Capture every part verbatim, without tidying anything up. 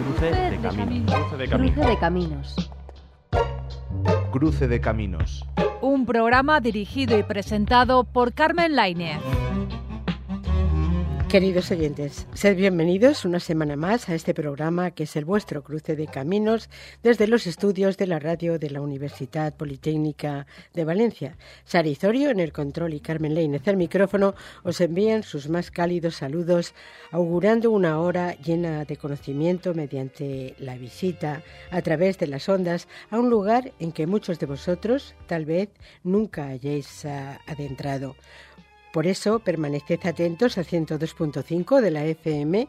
Cruce de caminos. Cruce de caminos. Cruce de caminos. Cruce de caminos. Un programa dirigido y presentado por Carmen Lainez. Queridos oyentes, sed bienvenidos una semana más a este programa que es el vuestro Cruce de Caminos desde los estudios de la radio de la Universidad Politécnica de Valencia. Sara Izorio en el control y Carmen Lainez al micrófono os envían sus más cálidos saludos, augurando una hora llena de conocimiento mediante la visita a través de las ondas a un lugar en que muchos de vosotros tal vez nunca hayáis uh, adentrado. Por eso, permaneced atentos al ciento dos punto cinco de la F M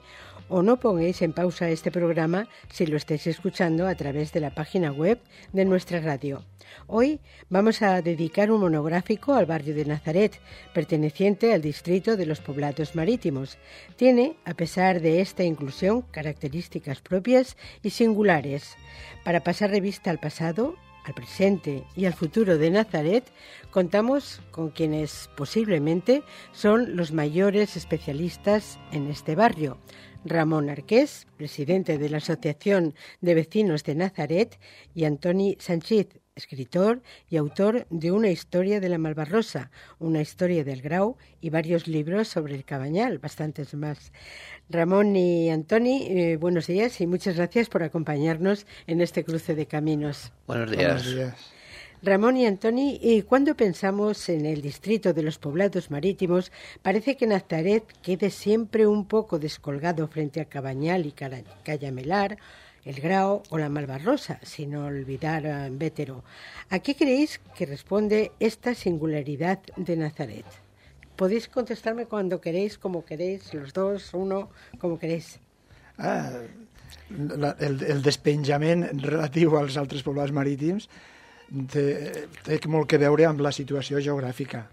o no pongáis en pausa este programa si lo estáis escuchando a través de la página web de nuestra radio. Hoy vamos a dedicar un monográfico al barrio de Nazaret, perteneciente al distrito de los Poblados Marítimos. Tiene, a pesar de esta inclusión, características propias y singulares. Para pasar revista al pasado, al presente y al futuro de Nazaret, contamos con quienes posiblemente son los mayores especialistas en este barrio. Ramón Arqués, presidente de la Asociación de Vecinos de Nazaret, y Antoni Sanchis, escritor y autor de Una historia de la Malvarrosa, Una historia del Grau y varios libros sobre el Cabanyal, bastantes más. Ramón y Antoni, eh, buenos días y muchas gracias por acompañarnos en este cruce de caminos. Buenos días. Buenos días. Ramón y Antoni, eh, cuando pensamos en el distrito de los Poblados Marítimos, parece que Nazaret quede siempre un poco descolgado frente a Cabanyal y Cayamelar, el Grau o la Malvarrosa, sin olvidar a Bétero. ¿A qué creéis que responde esta singularidad de Nazaret? Podéis contestarme cuando queréis, como queréis, los dos, uno, como queréis. Ah, la, el, el despenjament relatiu als altres poblats marítims té, té molt que veure amb la situació geogràfica.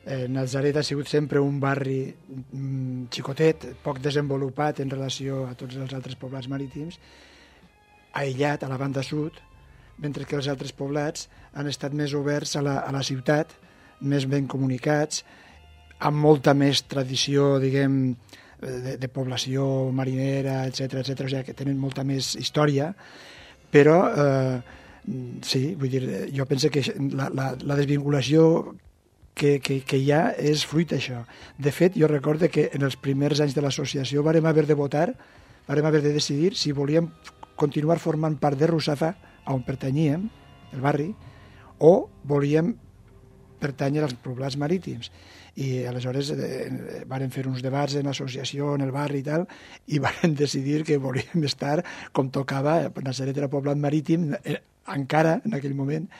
Eh, Nazaret ha sigut sempre un barri mm, xicotet, poc desenvolupat en relació a tots els altres poblats marítims, aïllat a la banda sud, mentre que els altres poblats han estat més oberts a la, a la ciutat, més ben comunicats, amb molta més tradició, diguem, de, de població marinera, etcètera, etcètera, o sigui que tenen molta més història, però eh, sí, vull dir, jo penso que la, la, la desvinculació que, que, que hi ha és fruit d'això. De fet, jo recordo que en els primers anys de l'associació vàrem haver de votar, vàrem haver de decidir si volíem continuar formant part de Russafa, on pertanyíem, el barri, o volíem pertànyer als poblats marítims. I aleshores eh, varen fer uns debats en l'associació, en el barri i tal, i varen decidir que volíem estar com tocava. Nazaret era poblat marítim, eh, encara en aquell moment,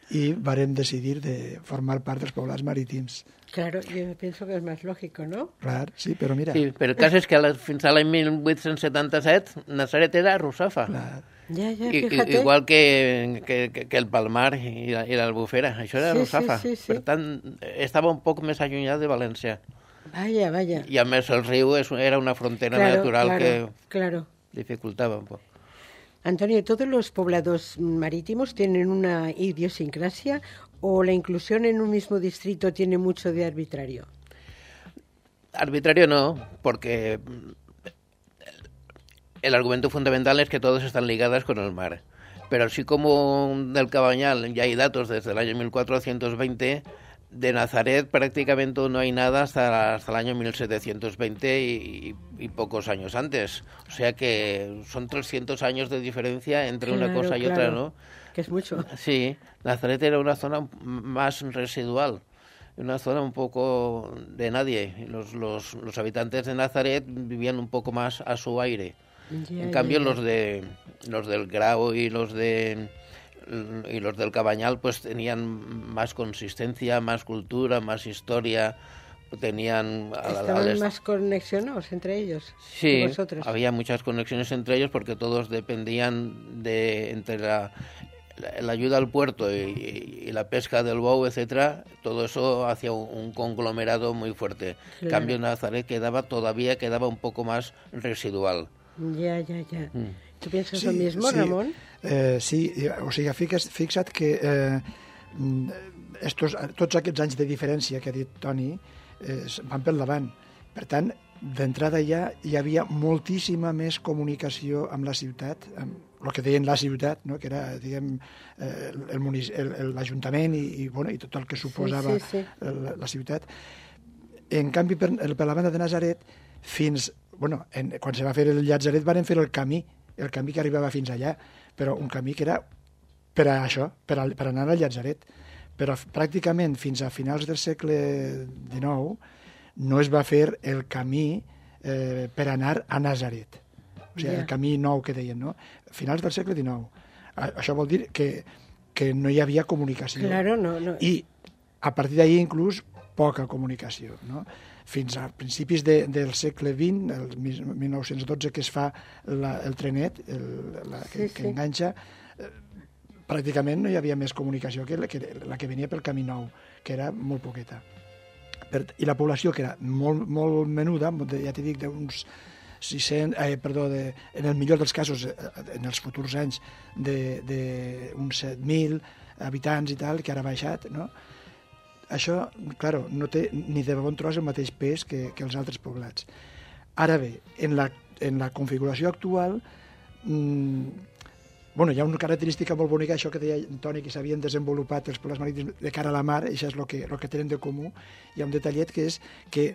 i varen decidir de formar part dels poblats marítims. Claro, yo pienso que es más lógico, ¿no? Clar, sí, però mira... Sí, però el cas és que fins a l'any mil vuit-cents setanta-set Nazaret era Russafa. Clar. Ya, ya, I, fíjate. igual que, que, que el Palmar i, la, i l'Albufera, això era Sí, Russafa. sí, sí, sí. Per tant, estava un poc més allunyat de València. Vaya, vaya. I a més el riu és, era una frontera Claro, natural claro, que claro. dificultava un poc. Antonio, ¿todos los poblados marítimos tienen una idiosincrasia o la inclusión en un mismo distrito tiene mucho de arbitrario? Arbitrario no, porque el argumento fundamental es que todos están ligados con el mar. Pero así como del Cabanyal ya hay datos desde el año mil cuatrocientos veinte, de Nazaret prácticamente no hay nada hasta, hasta el año mil setecientos veinte y, y, y pocos años antes. O sea que son trescientos años de diferencia entre Claro, una cosa y claro, otra, ¿no? Que es mucho. Sí, Nazaret era una zona más residual, una zona un poco de nadie. Los, los, los habitantes de Nazaret vivían un poco más a su aire. Ya, En cambio, ya, ya. los de los del Grau y los de y los del Cabanyal pues tenían más consistencia, más cultura, más historia, tenían a la- ¿Estaban al- más conexionados entre ellos? Sí, que vosotros? había muchas conexiones entre ellos porque todos dependían de entre la, la, la ayuda al puerto y, y la pesca del bou, etcétera. Todo eso hacía un, un conglomerado muy fuerte. En Claro. cambio, Nazaret quedaba todavía quedaba un poco más residual. Ya, ya, ya. Mm. ¿Tú piensas lo mismo, sí, Ramón? Eh, sí, o sigui, fixa't, fixa't que eh, estos, tots aquests anys de diferència que ha dit Toni eh, van pel davant. Per tant, d'entrada ja hi havia moltíssima més comunicació amb la ciutat, amb el que deien la ciutat, no? Que era, diguem, eh, l'Ajuntament i, i, bueno, i tot el que suposava sí, sí, sí. La, la ciutat. En canvi, per, per la banda de Natzaret, fins, bueno, en, quan se va fer el Llatzeret van fer el camí, el camí que arribava fins allà, però un camí que era per a això, per, a, per anar al Llatzeret. Però pràcticament fins a finals del segle dinou no es va fer el camí eh, per anar a Natzaret. O sigui, yeah. el camí nou que deien, no? Finals del segle dinou. A, això vol dir que, que no hi havia comunicació. Claro, no, no. I a partir d'ahir inclús poca comunicació, no? Fins a principis de, del segle vint, el mil nou-cents dotze, que es fa la, el trenet, el, la, que, sí, que sí. enganxa, eh, pràcticament no hi havia més comunicació que la, que la que venia pel camí nou, que era molt poqueta. Per, I la població, que era molt, molt menuda, ja t'he dit, d'uns sis-cents, eh, perdó, de, en el millor dels casos, en els futurs anys, d'uns set mil habitants i tal, que ara ha baixat, no? Això, claro, no té ni de bon tros el mateix pes que, que els altres poblats. Ara bé, en la, en la configuració actual, mmm, bueno, hi ha una característica molt bonica, això que deia Toni, que s'havien desenvolupat els poblats marítims de cara a la mar, això és el que, el que tenen de comú. Hi ha un detallet que és que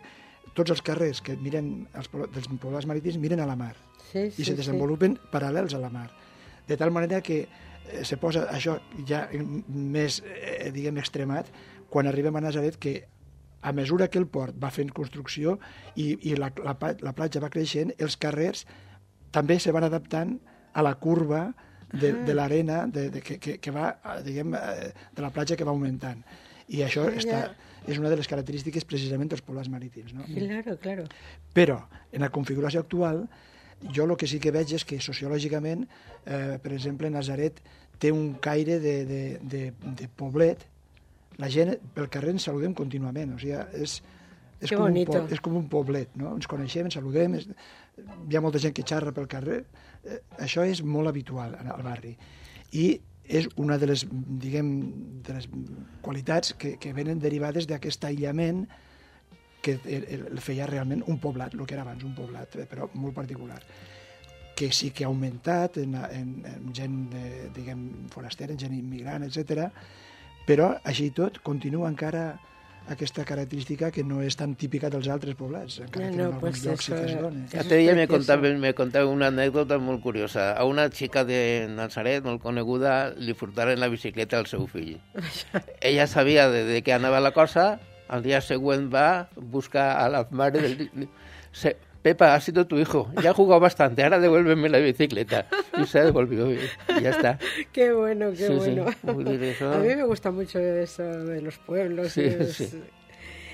tots els carrers que miren els, dels poblats marítims miren a la mar sí, sí, i se desenvolupen sí. paral·lels a la mar. De tal manera que eh, se posa això ja més, eh, diguem, extremat, quan arribem a Natzaret, que a mesura que el port va fent construcció i, i la, la, la platja va creixent, els carrers també se van adaptant a la curva de, ah. de l'arena de, de, que, que, que va, diguem, de la platja que va augmentant. I això ah, està, ja. és una de les característiques precisament dels poblats marítims. No? Claro, claro. Però, en la configuració actual, jo el que sí que veig és que sociològicament, eh, per exemple, Natzaret té un caire de, de, de, de poblet. La gent pel carrer ens saludem contínuament, o sigui, és, és, com un, po, és com un poblet, no? Ens coneixem, ens saludem, és, hi ha molta gent que xarra pel carrer, eh, això és molt habitual al barri. I és una de les, diguem, de les qualitats que, que venen derivades d'aquest aïllament que el feia realment un poblat, el que era abans un poblat, però molt particular, que sí que ha augmentat en, en, en gent, de, diguem, forastera, en gent immigrant, etcètera, però, així i tot, continua encara aquesta característica que no és tan típica dels altres poblats, encara no, que en alguns pues llocs sí que es dona. L'altre dia me contava, me contava una anècdota molt curiosa. A una xica de Natzaret, molt coneguda, li furtaren la bicicleta al seu fill. Ella sabia de, de què anava la cosa, al dia següent va buscar a la mare del... Se... Pepa, ha sido tu hijo, ya ha jugado bastante, ahora devuélveme la bicicleta. Y se devolvió y ya está. Qué bueno, qué sí, bueno. Sí. Eso... A mí me gusta mucho eso de los pueblos. Sí, es... sí.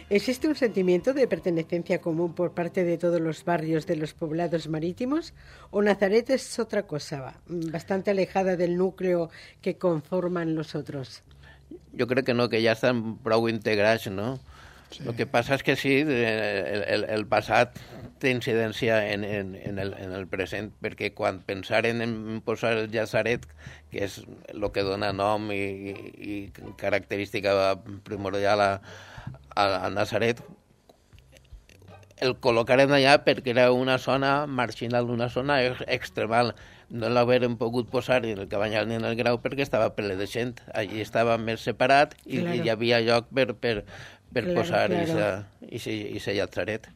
¿Existe un sentimiento de pertenencia común por parte de todos los barrios de los poblados marítimos? ¿O Natzaret es otra cosa, bastante alejada del núcleo que conforman los otros? Yo creo que no, que ya están prou integrats, no? Sí. El que passa és que sí, el, el, el passat té incidència en, en, en, el, en el present, perquè quan pensaren en posar el Llatzeret, que és el que dona nom i, i, i característica primordial a, a, a Natzaret, el col·locaren allà perquè era una zona marginal, una zona extremal. No l'hagueren pogut posar ni en el Cabanyal ni en el Grau perquè estava ple de gent. Allí estava més separat i, claro. i hi havia lloc per... per per claro, posar claro. ese Llatzeret.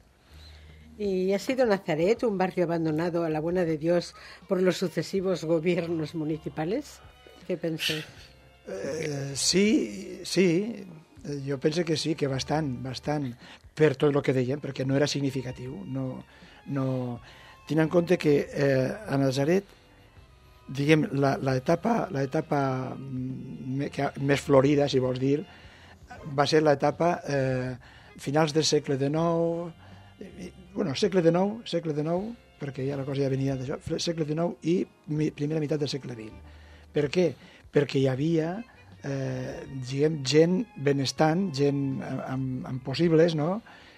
¿Y ha sido Natzaret un barrio abandonado a la buena de Dios por los sucesivos gobiernos municipales? ¿Qué pensáis? Eh, sí, sí, jo penso que sí, que bastant, bastant, per tot el que dèiem, perquè no era significatiu. No, no... Tenint en compte que eh, a Natzaret, diguem, l'etapa més florida, si vols dir, va ser l'etapa eh, finals del segle dinou, bueno, segle dinou, segle dinou, perquè ja la cosa ja venia d'això, segle dinou i primera meitat del segle vint. Per què? Perquè hi havia eh, diguem, gent benestant, gent amb, amb possibles, no?,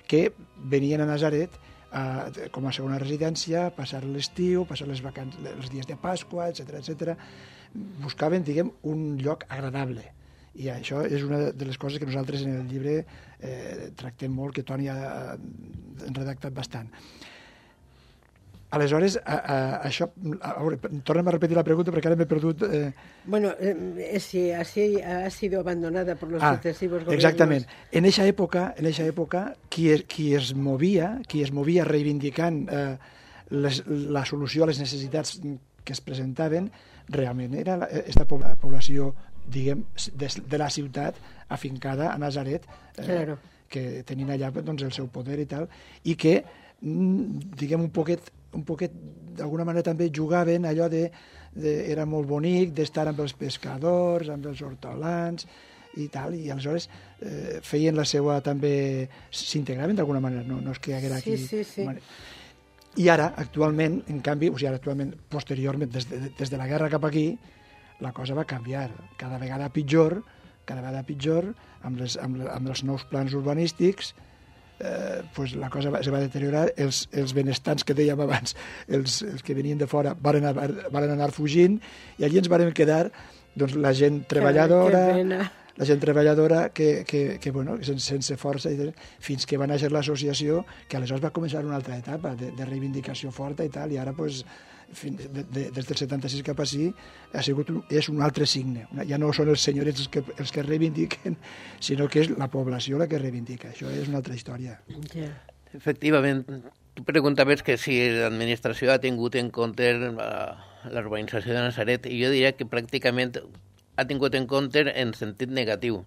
que venien a Natzaret eh, com a segona residència, passar l'estiu, passar les vacances, els dies de Pasqua, etcètera, etcètera. Buscaven, diguem, un lloc agradable. I això és una de les coses que nosaltres en el llibre eh, tractem molt, que Toni ha, ha redactat bastant. Aleshores, a, a, això... A veure, tornem a repetir la pregunta perquè ara m'he perdut... Eh... Bueno, eh, si así ha sido abandonada por los ah, sucesivos gobiernos... Exactament. En eixa època, en eixa època qui, es, qui es movia, qui es movia reivindicant eh, les, la solució a les necessitats que es presentaven, realment era aquesta població, diguem, de, de la ciutat afincada a Nazaret, eh, claro. que tenien allà doncs, el seu poder i tal, i que, diguem, un poquet, un poquet d'alguna manera també jugaven allò de, de era molt bonic d'estar amb els pescadors, amb els hortolans i tal, i aleshores eh, feien la seva també, s'integraven d'alguna manera, no, no és que hi haguera aquí... Sí, sí, sí. I ara, actualment, en canvi, o sigui, ara, actualment, posteriorment, des de, des de la guerra cap aquí, la cosa va canviar. Cada vegada pitjor, cada vegada pitjor, amb, les, amb, amb els nous plans urbanístics, eh, pues la cosa va, se va deteriorar. Els, els benestants que dèiem abans, els, els que venien de fora, van anar, van anar fugint, i allí ens vam quedar doncs, la gent treballadora... la gent treballadora que, que, que bueno, sense, sense força, i fins que va néixer l'associació, que aleshores va començar una altra etapa de, de reivindicació forta i tal, i ara pues, fins, de, de, des del setanta-sis cap així ha sigut un, és un altre signe. Ja no són els senyors els que, els que reivindiquen, sinó que és la població la que reivindica. Això és una altra història. Yeah. Efectivament, tu preguntaves que si l'administració ha tingut en compte la urbanització de Nazaret, i jo diria que pràcticament ha tingut en compte en sentit negatiu,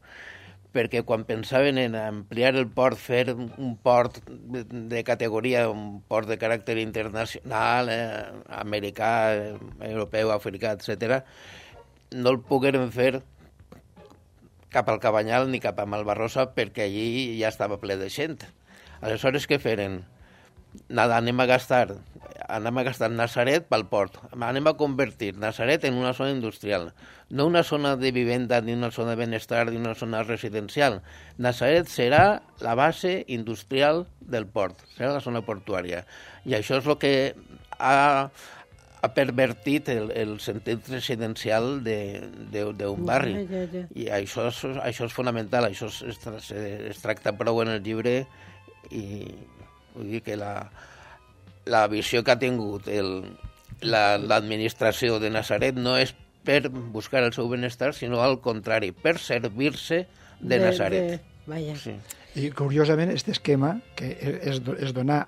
perquè quan pensaven en ampliar el port, fer un port de categoria, un port de caràcter internacional, eh, americà, eh, europeu, africà, etcètera, no el pogueren fer cap al Cabanyal ni cap a Malvarrosa perquè allí ja estava ple de gent. Aleshores, què feren? Nada, anem a gastar, anem a gastar Nazaret pel port, anem a convertir Nazaret en una zona industrial, no una zona de vivenda, ni una zona de benestar, ni una zona residencial. Nazaret serà la base industrial del port, serà la zona portuària. I això és el que ha, ha pervertit el, el sentit residencial d'un barri. Ja, ja, ja. I això és, això és fonamental, això es, es, es tracta prou en el llibre, i vull dir que la, la visió que ha tingut l'administració la, de Nazaret no és per buscar el seu benestar, sinó al contrari, per servir-se de, de Nazaret. De... Vaya. Sí. I curiosament, aquest esquema, que és, és donar...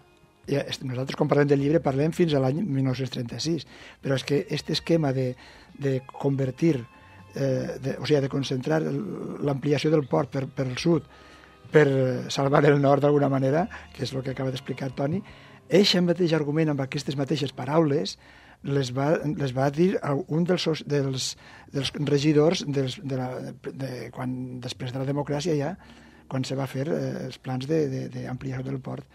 Ja, nosaltres, quan parlem del llibre, parlem fins a l'any dinou trenta-sis, però és que aquest esquema de, de convertir, eh, de, o sigui, de concentrar l'ampliació del port per, per el sud, per salvar el nord d'alguna manera, que és el que acaba d'explicar Toni, eixe mateix argument amb aquestes mateixes paraules les va, les va dir un dels, dels, dels regidors dels, de la, de, quan, després de la democràcia ja, quan se va fer eh, els plans d'ampliació de, de del port.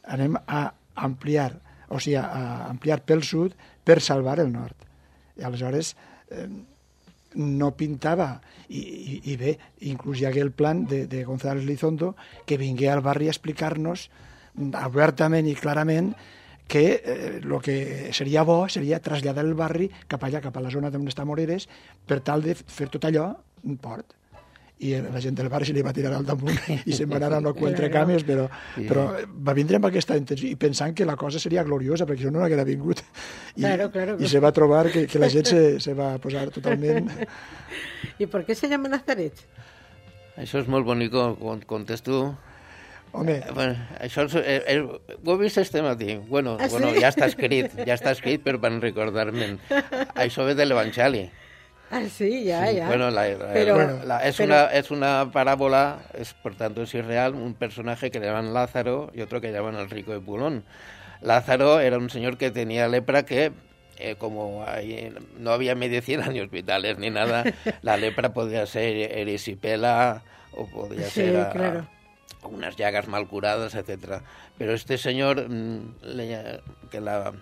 Anem a ampliar, o sigui, a ampliar pel sud per salvar el nord. I aleshores... Eh, no pintava, i, i, i bé, inclús hi hagué el plan de, de González Lizondo, que vingué al barri a explicar-nos obertament i clarament que el eh, que seria bo seria traslladar el barri cap allà, cap a la zona d'on està Moreres, per tal de fer tot allò un port. I la gent del barri se li va tirar al damunt i se'n va anar a no quatre cames, però, però va vindre amb aquesta intenció i pensant que la cosa seria gloriosa, perquè això no haguera vingut. I, claro, claro. I se va trobar que, que la gent se, se va posar totalment... ¿Y por qué se llama Nazaret? Això és molt bonic, quan contes tu. Home... Bueno, això és, eh, eh, ho he vist este matí. Bueno, ah, bueno sí? ja està escrit, ja està escrit, però van recordar-me'n. Això ve de l'Evangeli. Ah, sí, ya, sí, ya. Bueno, la, la, pero, la, la, es, pero... una, es una parábola, es, por tanto es irreal, un personaje que le llaman Lázaro y otro que llaman el rico de Pulón. Lázaro era un señor que tenía lepra que, eh, como ahí no había medicina ni hospitales ni nada, la lepra podía ser erisipela o podía sí, ser a, claro. a unas llagas mal curadas, etcétera. Pero este señor, mmm, le, que la...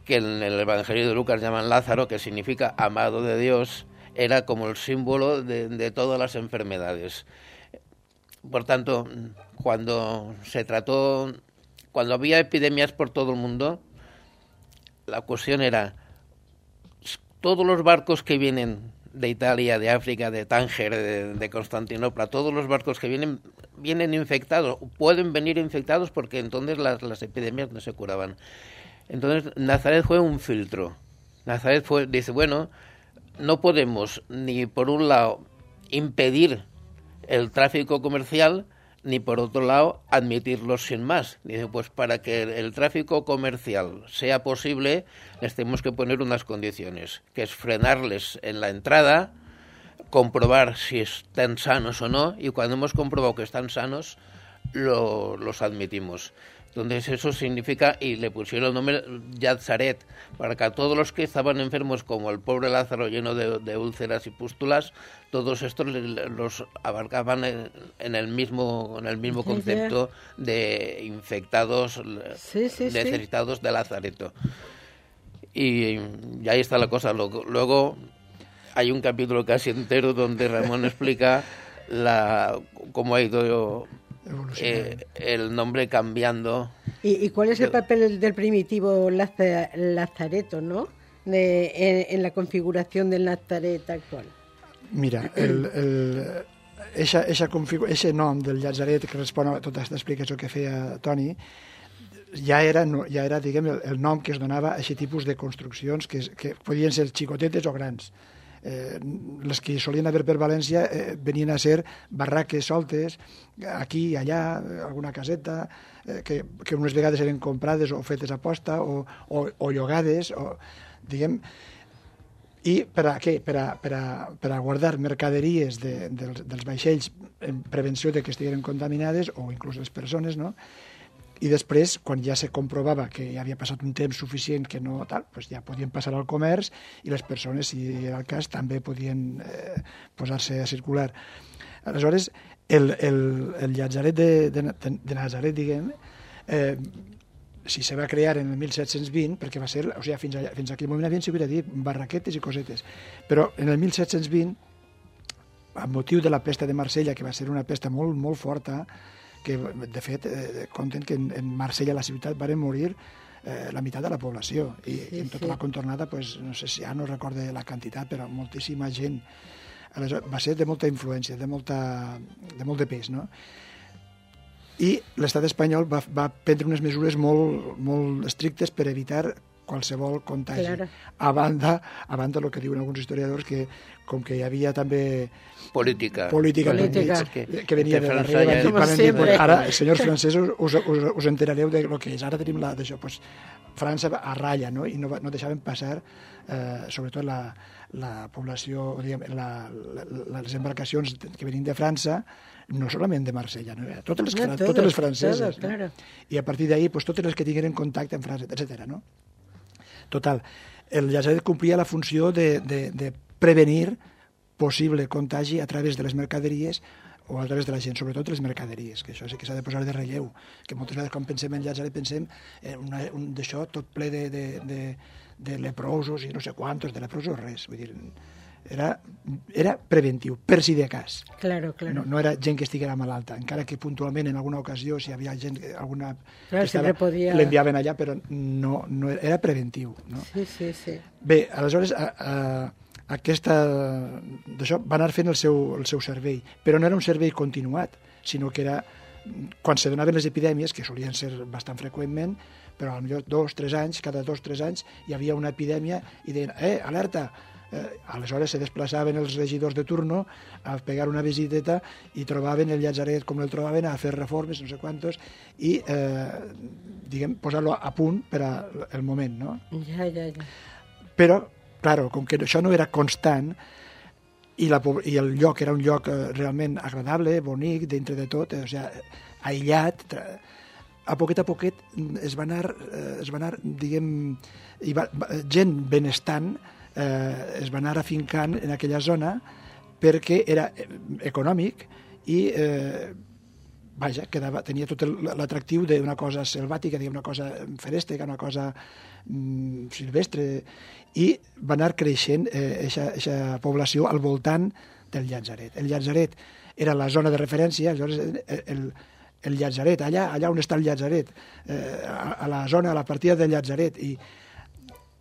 que en el Evangelio de Lucas llaman Lázaro, que significa amado de Dios, era como el símbolo de, de todas las enfermedades. Por tanto, cuando se trató, cuando había epidemias por todo el mundo, la cuestión era, todos los barcos que vienen de Italia, de África, de Tánger, de, de Constantinopla, todos los barcos que vienen, vienen infectados, pueden venir infectados porque entonces las, las epidemias no se curaban. Entonces Nazaret fue un filtro. Nazaret fue, dice, bueno, no podemos ni por un lado impedir el tráfico comercial, ni por otro lado admitirlos sin más. Dice, pues para que el tráfico comercial sea posible, les tenemos que poner unas condiciones, que es frenarles en la entrada, comprobar si están sanos o no, y cuando hemos comprobado que están sanos, lo, los admitimos. Entonces eso significa, y le pusieron el nombre Yazaret, para que a todos los que estaban enfermos, como el pobre Lázaro lleno de, de úlceras y pústulas, todos estos los abarcaban en, en el mismo en el mismo concepto de infectados, sí, sí, necesitados sí. de lazareto. Y, y ahí está la cosa. Luego hay un capítulo casi entero donde Ramón explica la cómo ha ido Eh, el nombre cambiando. ¿Y, y cuál es el papel del primitivo Laza, Lazareto, no? De, en, en la configuración del Nazaret actual. Mira, el, el, eixa, eixa configu... eixe nom del Llazaret que respon a tota aquesta explicació que feia Toni ja era, ja era diguem, el, el nom que es donava a aquest tipus de construccions que, que podien ser xicotetes o grans. Eh, les que solien haver per València eh, venien a ser barraques soltes, aquí i allà, alguna caseta, eh, que, que unes vegades eren comprades o fetes a posta o, o, o llogades, o, diguem, i per a què? Per a, per a, per a guardar mercaderies de, dels, dels vaixells en prevenció de que estiguin contaminades o inclús les persones, no? I després, quan ja se comprovava que ja havia passat un temps suficient que no tal, doncs ja podien passar al comerç i les persones, si era el cas, també podien eh, posar-se a circular. Aleshores, el, el, el Llazaret de, de, de Nazaret, diguem, eh, si se va crear en el mil set-cents vint, perquè va ser, o sigui, fins, allà, fins a aquell moment havien sigut a dir barraquetes i cosetes, però en el mil set-cents vint, amb motiu de la pesta de Marsella, que va ser una pesta molt, molt forta, que de fet eh, compten que en, en Marsella, la ciutat, van morir eh, la meitat de la població i sí, en tota sí. la contornada, pues, no sé si ja no recorde la quantitat, però moltíssima gent. Aleshores, va ser de molta influència, de, molta, de molt de pes, no? I l'estat espanyol va, va prendre unes mesures molt, molt estrictes per evitar qualsevol contagi. Claro. A banda, a banda del que diuen alguns historiadors, que com que hi havia també política, política, política. Que, que venia de darrere, ja van dir, pues, ara, senyors francesos, us, us, us enterareu de lo que és. Ara tenim la d'això, pues, França a ratlla, no? I no, no deixaven passar, eh, sobretot la, la població, diguem, la, la, les embarcacions que venien de França, no solament de Marsella, no? Totes les, no, totes, totes les franceses. Todo, claro. No? I a partir d'ahí, pues, totes les que tingueren contacte amb França, etcètera, no? Total, el Llazaret complia la funció de, de, de prevenir possible contagi a través de les mercaderies o a través de la gent, sobretot les mercaderies, que això sí que s'ha de posar de relleu, que moltes vegades quan pensem en Llazaret pensem en una, un d'això tot ple de, de, de, de leprosos i no sé quantos, de leprosos res, vull dir, era, era preventiu, per si de cas. Claro, claro. No, no era gent que estiguera malalta, encara que puntualment en alguna ocasió, si hi havia gent, alguna claro, que estava, podia... l'enviaven allà, però no, no era preventiu. No? Sí, sí, sí. Bé, aleshores, a, a, aquesta, d'això va anar fent el seu, el seu servei, però no era un servei continuat, sinó que era, quan se donaven les epidèmies, que solien ser bastant freqüentment, però potser dos, tres anys, cada dos, tres anys, hi havia una epidèmia i deien, eh, alerta! Eh, aleshores se desplaçaven els regidors de turno a pegar una visiteta i trobaven el Llazaret com el trobaven, a fer reformes, no sé quantos, i eh, diguem, posar-lo a punt per al moment, no? Ja, ja, ja. Però, claro, com que això no era constant i, la, i el lloc era un lloc eh, realment agradable, bonic, dintre de tot, eh, o sigui, aïllat, a poquet a poquet es va anar, eh, es va anar diguem, hi va, gent benestant eh, es va anar afincant en aquella zona perquè era econòmic i eh, vaja, quedava, tenia tot l'atractiu d'una cosa selvàtica, una cosa ferèstica, una cosa mm, silvestre, i va anar creixent aquesta eh, població al voltant del Llazaret. El Llazaret era la zona de referència, aleshores el, el Llazaret, allà, allà on està el Llazaret, eh, a, a la zona, a la partida del Llazaret, i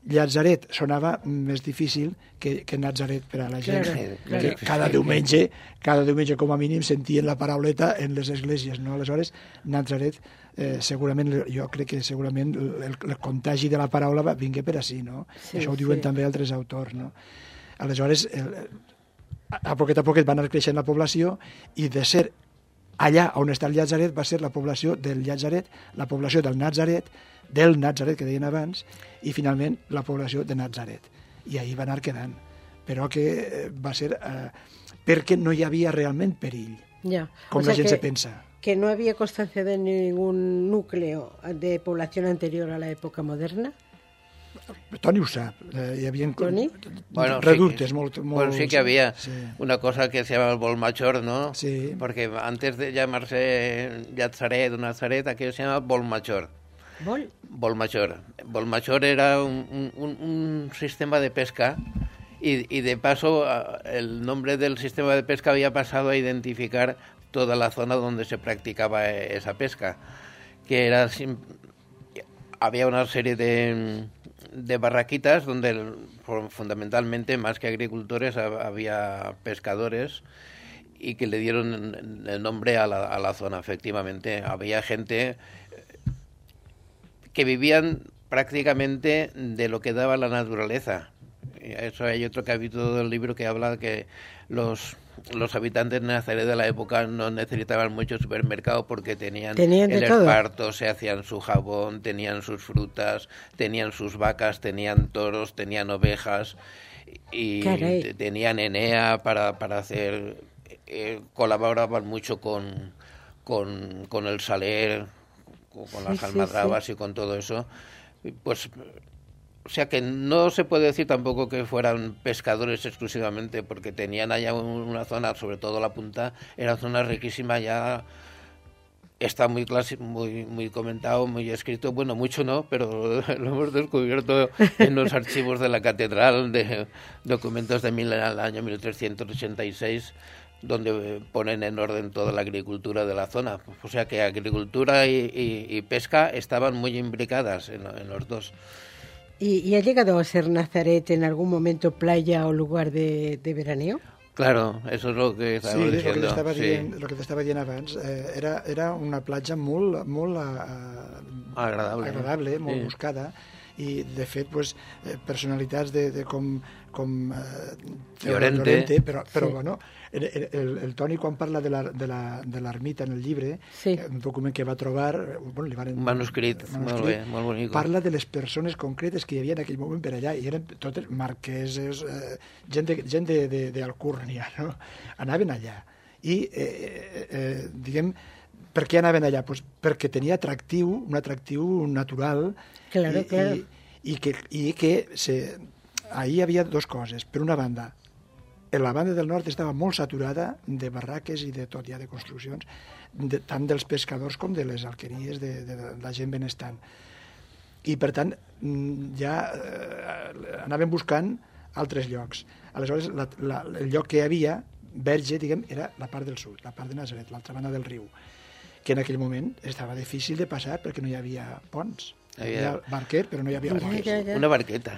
Llazaret sonava més difícil que, que Natzaret per a la gent. Claro, que claro. cada diumenge, cada diumenge com a mínim sentien la parauleta en les esglésies, no? Aleshores, Natzaret, eh, segurament, jo crec que segurament el, el contagi de la paraula va, vingué per així, no? Sí, Això ho diuen sí. també altres autors, no? Aleshores, el, a poquet a poquet va anar creixent la població i de ser allà on està el Llazaret va ser la població del Llazaret, la població del Natzaret, del Natzaret que deien abans, i finalment la població de Natzaret. I ahir va anar quedant. Però que va ser eh, perquè no hi havia realment perill, Ya. com O sea la gent que, se pensa. que no había constancia de ningún núcleo de población anterior a la época moderna. Toni ho sap. Eh, hi havia Toni? Bueno, reductes sí, molt, molt... bueno, sí que había sí. una cosa que se llama el Bolmachor, ¿no? Sí. Porque antes de llamarse Llazaret o Nazaret, aquello se llama Bolmachor. ¿Bol? Bolmachor. Bolmachor era un, un, un sistema de pesca y, y de paso el nombre del sistema de pesca había pasado a identificar toda la zona donde se practicaba esa pesca, que era había una serie de, de barraquitas donde fundamentalmente más que agricultores había pescadores y que le dieron el nombre a la, a la zona. Efectivamente, había gente que vivían prácticamente de lo que daba la naturaleza. Eso hay otro capítulo del libro que habla que los, los habitantes de Nazaret de la época no necesitaban mucho supermercado porque tenían, tenían el todo. esparto, se hacían su jabón, tenían sus frutas, tenían sus vacas, tenían toros, tenían ovejas y Caray. tenían Enea para, para hacer... Eh, colaboraban mucho con, con, con el saler, con Sí, las sí, almadrabas sí. y con todo eso, pues, o sea que no se puede decir tampoco que fueran pescadores exclusivamente, porque tenían allá una zona, sobre todo la punta, era zona riquísima, ya está muy clasi- muy muy comentado, muy escrito, bueno, mucho no, pero lo hemos descubierto en los archivos de la catedral, de documentos de mil, al año mil trescientos ochenta y seis, donde ponen en orden toda la agricultura de la zona. O sea que agricultura y, y, y pesca estaban muy imbricadas en, en los dos. ¿Y, ¿Y ha llegado a ser Nazaret en algún momento playa o lugar de, de veraneo? Claro, eso es lo que Sí, estamos és el que diciendo. t'estava sí. dient, el que t'estava dient abans. Eh, era, era una platja molt, molt uh, Agradable. agradable, molt Sí. buscada, i de fet pues, eh, personalitats de, de com, com eh, Llorente. Llorente, però, però Sí. bueno, el, el, el Toni quan parla de la, de la, de l'ermita en el llibre, Sí. un document que va trobar, eh, bueno, li van, Un manuscrit, molt bé, molt bonic. parla de les persones concretes que hi havia en aquell moment per allà, i eren totes marqueses, eh, gent de, gent de, de, d'Alcúrnia, no? Anaven allà. I, eh, eh, diguem, per què anaven allà? Pues perquè tenia atractiu, un atractiu natural, Claro, i, claro. i, i que, i que se, ahí hi havia dues coses. Per una banda, en la banda del nord estava molt saturada de barraques i de tot, ja de construccions, de, tant dels pescadors com de les alqueries de, de, de la gent benestant. I, per tant, mm, ja eh, anaven buscant altres llocs. Aleshores, la, la, el lloc que hi havia, verge, diguem, era la part del sud, la part de Nazaret, l'altra banda del riu, que en aquell moment estava difícil de passar perquè no hi havia ponts. Hi havia Havia- barquer, però no hi havia Ja, ponts. ja, ja. Una barqueta.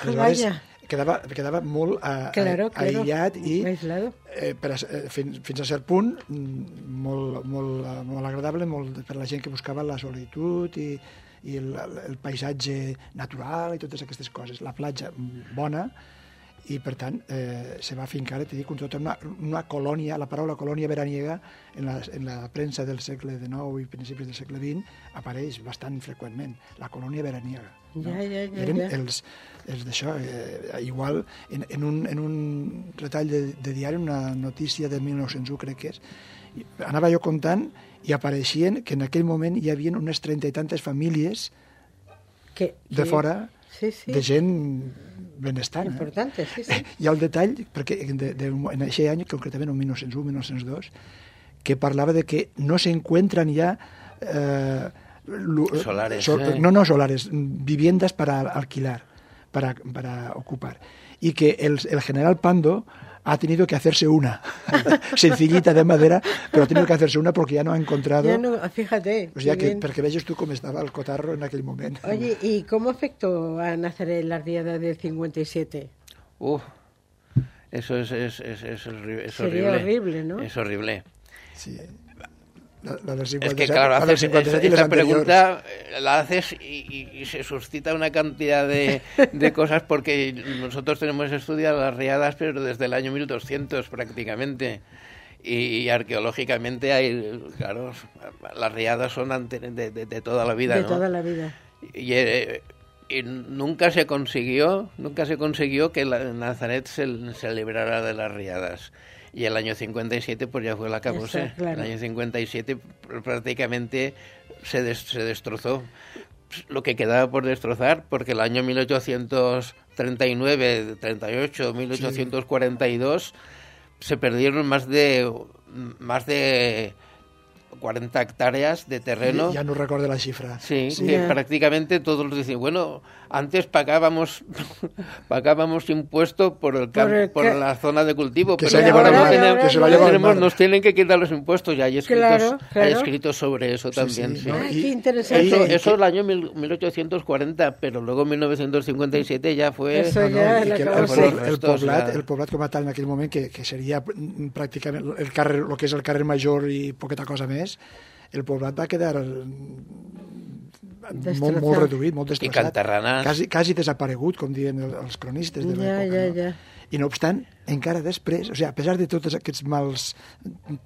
Aleshores, Vaya. quedava, quedava molt a, Claro, a, claro. aïllat i Aislado. eh, per a, eh, fins, fins a cert punt mm, molt, molt, eh, molt agradable molt per la gent que buscava la solitud i, i el, el paisatge natural i totes aquestes coses. La platja mm, bona, i per tant eh, se va fincar, t'he dit, tota una, una colònia, la paraula colònia veraniega en la, en la premsa del segle dinou i principis del segle vint apareix bastant freqüentment, la colònia veraniega. No? Ja, ja, ja, Eren ja. els, els d'això, eh, igual en, en, un, en un retall de, de diari, una notícia de mil nou-cents u crec que és, i anava jo comptant i apareixien que en aquell moment hi havia unes trenta i tantes famílies Que, de sí. fora, Sí, sí. de gent benestant. Importante, sí, sí. Hi ha el detall, perquè de, de, en aquest any, concretament en mil nou-cents u mil nou-cents dos, que parlava de que no se encuentran ya eh, lu- Solares, sol- eh. no, no solares, viviendas para alquilar, para, para ocupar. Y que el, el general Pando ha tenido que hacerse una, sencillita de madera, pero ha tenido que hacerse una porque ya no ha encontrado... Ya no, fíjate. O sea, que, perquè veges tu com estava el cotarro en aquell moment. Oye, ¿y cómo afectó a Nazaret la riada del cincuenta y siete? Uf, eso es, es, es, es, horrible, es Sería horrible. horrible, ¿no? Es horrible. Sí. La, la del cincuenta y siete, es que claro, haces, cincuenta y siete esta pregunta la haces y, y, y se suscita una cantidad de, de cosas porque nosotros tenemos estudiado las riadas pero desde el año mil doscientos prácticamente y, y arqueológicamente hay, claro, las riadas son ante, de, de, de toda la vida, de ¿no? toda la vida. Y, eh, y nunca se consiguió, nunca se consiguió que la, Nazaret se, se librara de las riadas. Y el año cincuenta y siete pues ya fue la acabose. Claro. El año cincuenta y siete prácticamente se, des, se destrozó lo que quedaba por destrozar, porque el año mil ochocientos treinta y nueve, treinta y ocho, mil ochocientos cuarenta y dos sí. se perdieron más de más de cuarenta hectáreas de terreno. Ja no recordo la xifra. Sí, sí. Que prácticamente todos dicen, bueno, antes pagábamos pagábamos impuesto por el campo, por, el, por que, la zona de cultivo, que pero se ahora, ahora, no tenemos, que se no tenemos, nos tienen que quitar los impuestos, y hay escritos, claro, claro. hay escritos sobre eso sí, también. Sí, sí. ¿no? Ay, y, qué interesante. Eso, eso el año mil ochocientos cuarenta, pero luego en mil novecientos cincuenta y siete ya fue... Eso no, ja no, la el, el, el, el, poblat, el poblat com a tal en aquell moment, que, que seria pràcticament el, carrer, el que és el carrer Major i poqueta cosa més, el poblat va quedar molt, molt reduït, molt destrossat. I Cantarranas. Quasi, quasi desaparegut, com diuen els cronistes de l'època. Ja, ja, ja. No? I no obstant, encara després, o sigui, a pesar de tots aquests mals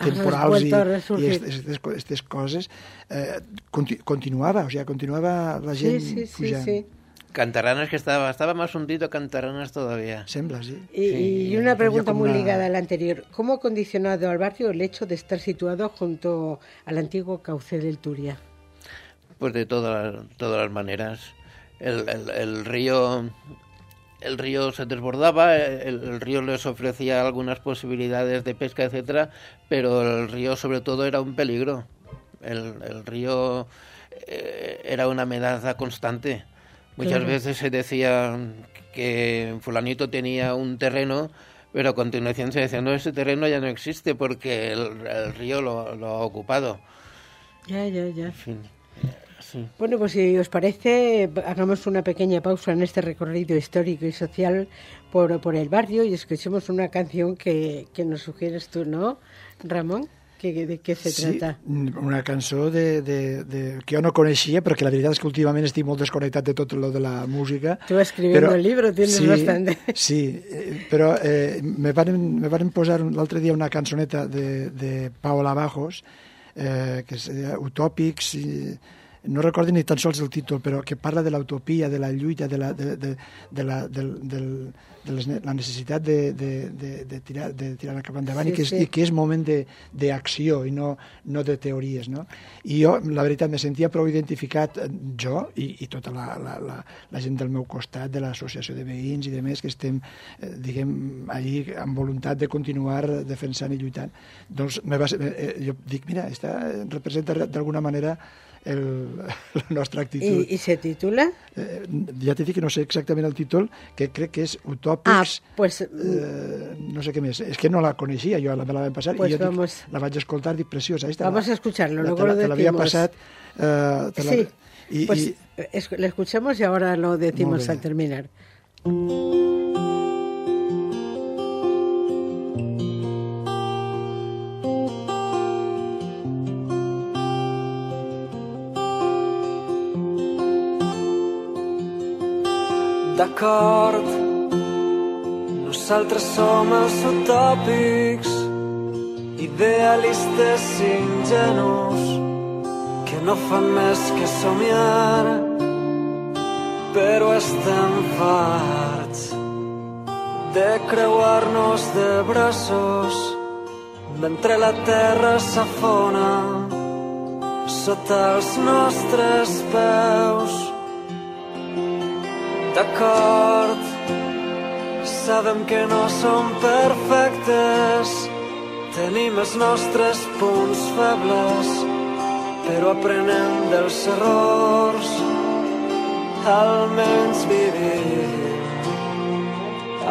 temporals i, i aquestes coses, eh, continu, continuava, o sigui, continuava la gent sí, sí, pujant. Sí, sí. Cantarranas, que estaba, estaba más hundido Cantarranas todavía. Sembla, sí. Y, sí. y una pregunta muy una... ligada a la anterior. ¿Cómo ha condicionado al barrio el hecho de estar situado junto al antiguo cauce del Turia? Pues de todas, todas las maneras. El, el, el río... El río se desbordaba, el, el río les ofrecía algunas posibilidades de pesca, etcétera, pero el río sobre todo era un peligro. El, el río eh, era una amenaza constante. Muchas claro. veces se decía que fulanito tenía un terreno, pero a continuación se decía, no, ese terreno ya no existe porque el, el río lo, lo ha ocupado. Ya, ya, ya. En fin, sí. Bueno, pues si os parece, hagamos una pequeña pausa en este recorrido histórico y social por, por el barrio y escuchemos una canción que, que nos sugieres tú, ¿no, Ramon? Que, de què se sí, trata? Una cançó de, de, de, que jo no coneixia, perquè la veritat és que últimament estic molt desconnectat de tot lo de la música. Tu escribiendo però, el libro tienes sí, bastante. Sí, però eh, me, van, me van posar l'altre dia una cançoneta de, de Paola Bajos, eh, que és Utòpics, i no recordo ni tan sols el títol, però que parla de l'utopia, de la lluita, de la, de, de, de la, del, del, de les, la necessitat de, de, de, de, tirar, de tirar cap endavant sí, i, que és, sí. i que és moment d'acció i no, no de teories. No? I jo, la veritat, me sentia prou identificat, jo i, i tota la, la, la, la gent del meu costat, de l'associació de veïns i de més, que estem, eh, diguem, allí amb voluntat de continuar defensant i lluitant. Doncs me va, eh, jo dic, mira, esta representa d'alguna manera el, la nostra actitud. ¿Y, y se titula? Eh, ja t'he dit que no sé exactament el títol, que crec que és Utòpics, ah, pues, eh, no sé què més. És que no la coneixia, jo me la vam passar pues i jo vamos, dic, la vaig escoltar, dic, preciosa. Esta vamos la, a escucharlo, la, luego lo Te decimos. l'havia passat... Eh, te la, sí, y, pues y, es, la escuchamos y ahora lo decimos al terminar. D'acord, nosaltres som els utòpics, idealistes ingenus, que no fan més que somiar, però estem farts de creuar-nos de braços mentre la terra s'afona sota els nostres peus. D'acord, sabem que no som perfectes, tenim els nostres punts febles, però aprenem dels errors, almenys vivim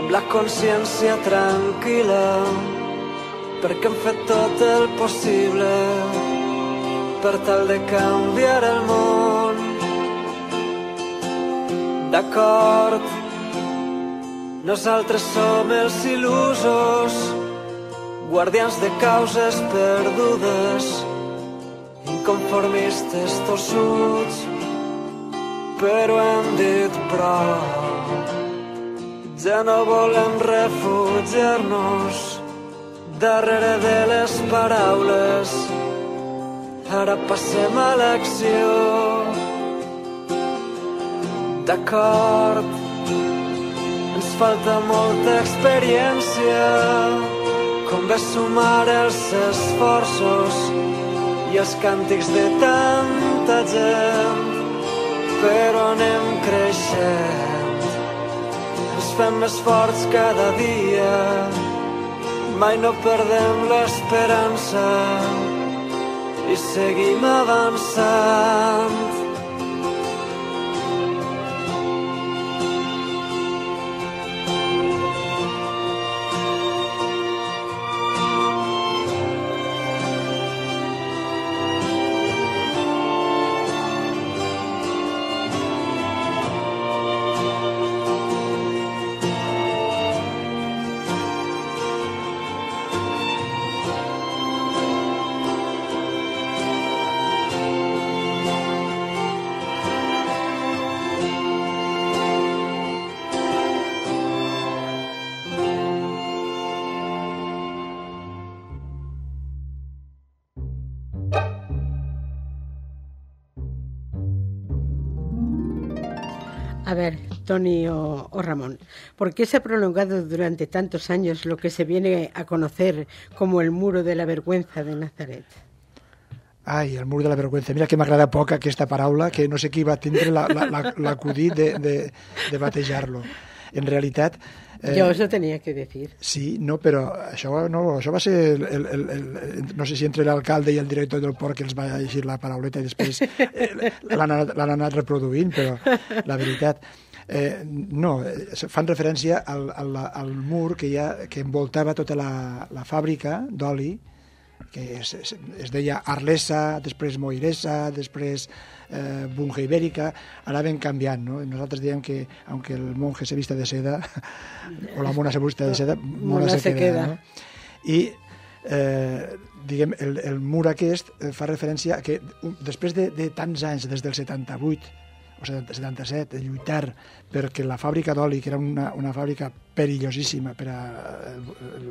amb la consciència tranquil·la, perquè hem fet tot el possible per tal de canviar el món. D'acord, nosaltres som els il·lusos, guardians de causes perdudes, inconformistes tossuts, però hem dit prou. Ja no volem refugiar-nos darrere de les paraules, ara passem a l'acció. D'acord, ens falta molta experiència, convé sumar els esforços i els càntics de tanta gent, però anem creixent, ens fem més forts cada dia, mai no perdem l'esperança i seguim avançant. A ver, Tony o, o Ramón, ¿por qué se ha prolongado durante tantos años lo que se viene a conocer como el muro de la vergüenza de Nazaret? Ai, el mur de la vergüenza. Mira que m'agrada poc aquesta paraula, que no sé qui va tindre l'acudit de, de, de batejar-lo. En realitat... Eh, jo us ho tenia que dir. Sí, no, però això, no, això va ser... El, el, el, el, no sé si entre l'alcalde i el director del port que els va llegir la parauleta i després eh, l'han anat, l'han anat reproduint, però la veritat... Eh, no, fan referència al, al, al mur que, hi ha, que envoltava tota la, la fàbrica d'oli, que es, es, es deia Arlesa, després Moiresa, després eh, Bunge Ibèrica, anaven canviant, no? Nosaltres diem que, aunque el monje se vista de seda, o la mona se vista de seda, mona, mona se, se queda. queda. No? I, eh, diguem, el, el mur aquest fa referència a que després de, de tants anys, des del setanta-vuit, o setanta-set, de lluitar perquè la fàbrica d'oli, que era una, una fàbrica perillosíssima per a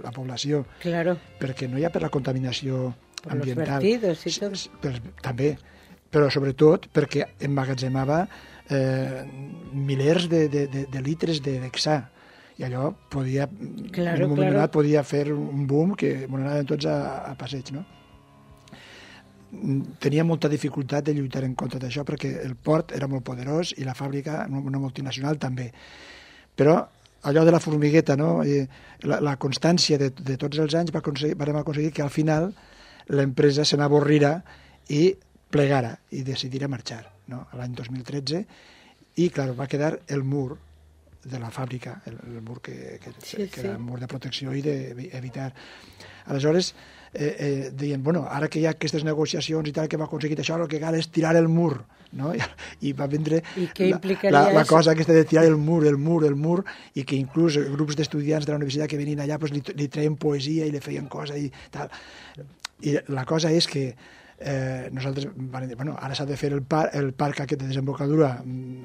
la població, claro, perquè no hi ha per la contaminació per ambiental, los vertidos i tot. Per, també, però sobretot perquè emmagatzemava eh, milers de, de, de, de litres de d'hexà, i allò podia, claro, en un moment claro. donat podia fer un boom que ens anàvem tots a, a passeig, no? Tenia molta dificultat de lluitar en contra d'això perquè el port era molt poderós i la fàbrica, una multinacional, també. Però allò de la formigueta, no? I la, la constància de, de tots els anys va aconseguir, vam aconseguir que al final l'empresa se n'avorrira i plegara i decidirà marxar, no? L'any dos mil tretze, i clar, va quedar el mur de la fàbrica, el, el mur que, que, sí, que sí. era el mur de protecció i d'evitar. Aleshores, eh, eh, deien, bueno, ara que hi ha aquestes negociacions i tal, que va aconseguir això, el que cal és tirar el mur, no? I, i va vindre la, la, la cosa aquesta de tirar el mur, el mur, el mur, i que inclús grups d'estudiants de la universitat que venien allà pues, li, li treien poesia i li feien cosa i tal. I la cosa és que eh, nosaltres vam dir, bueno, ara s'ha de fer el, par, el parc aquest de desembocadura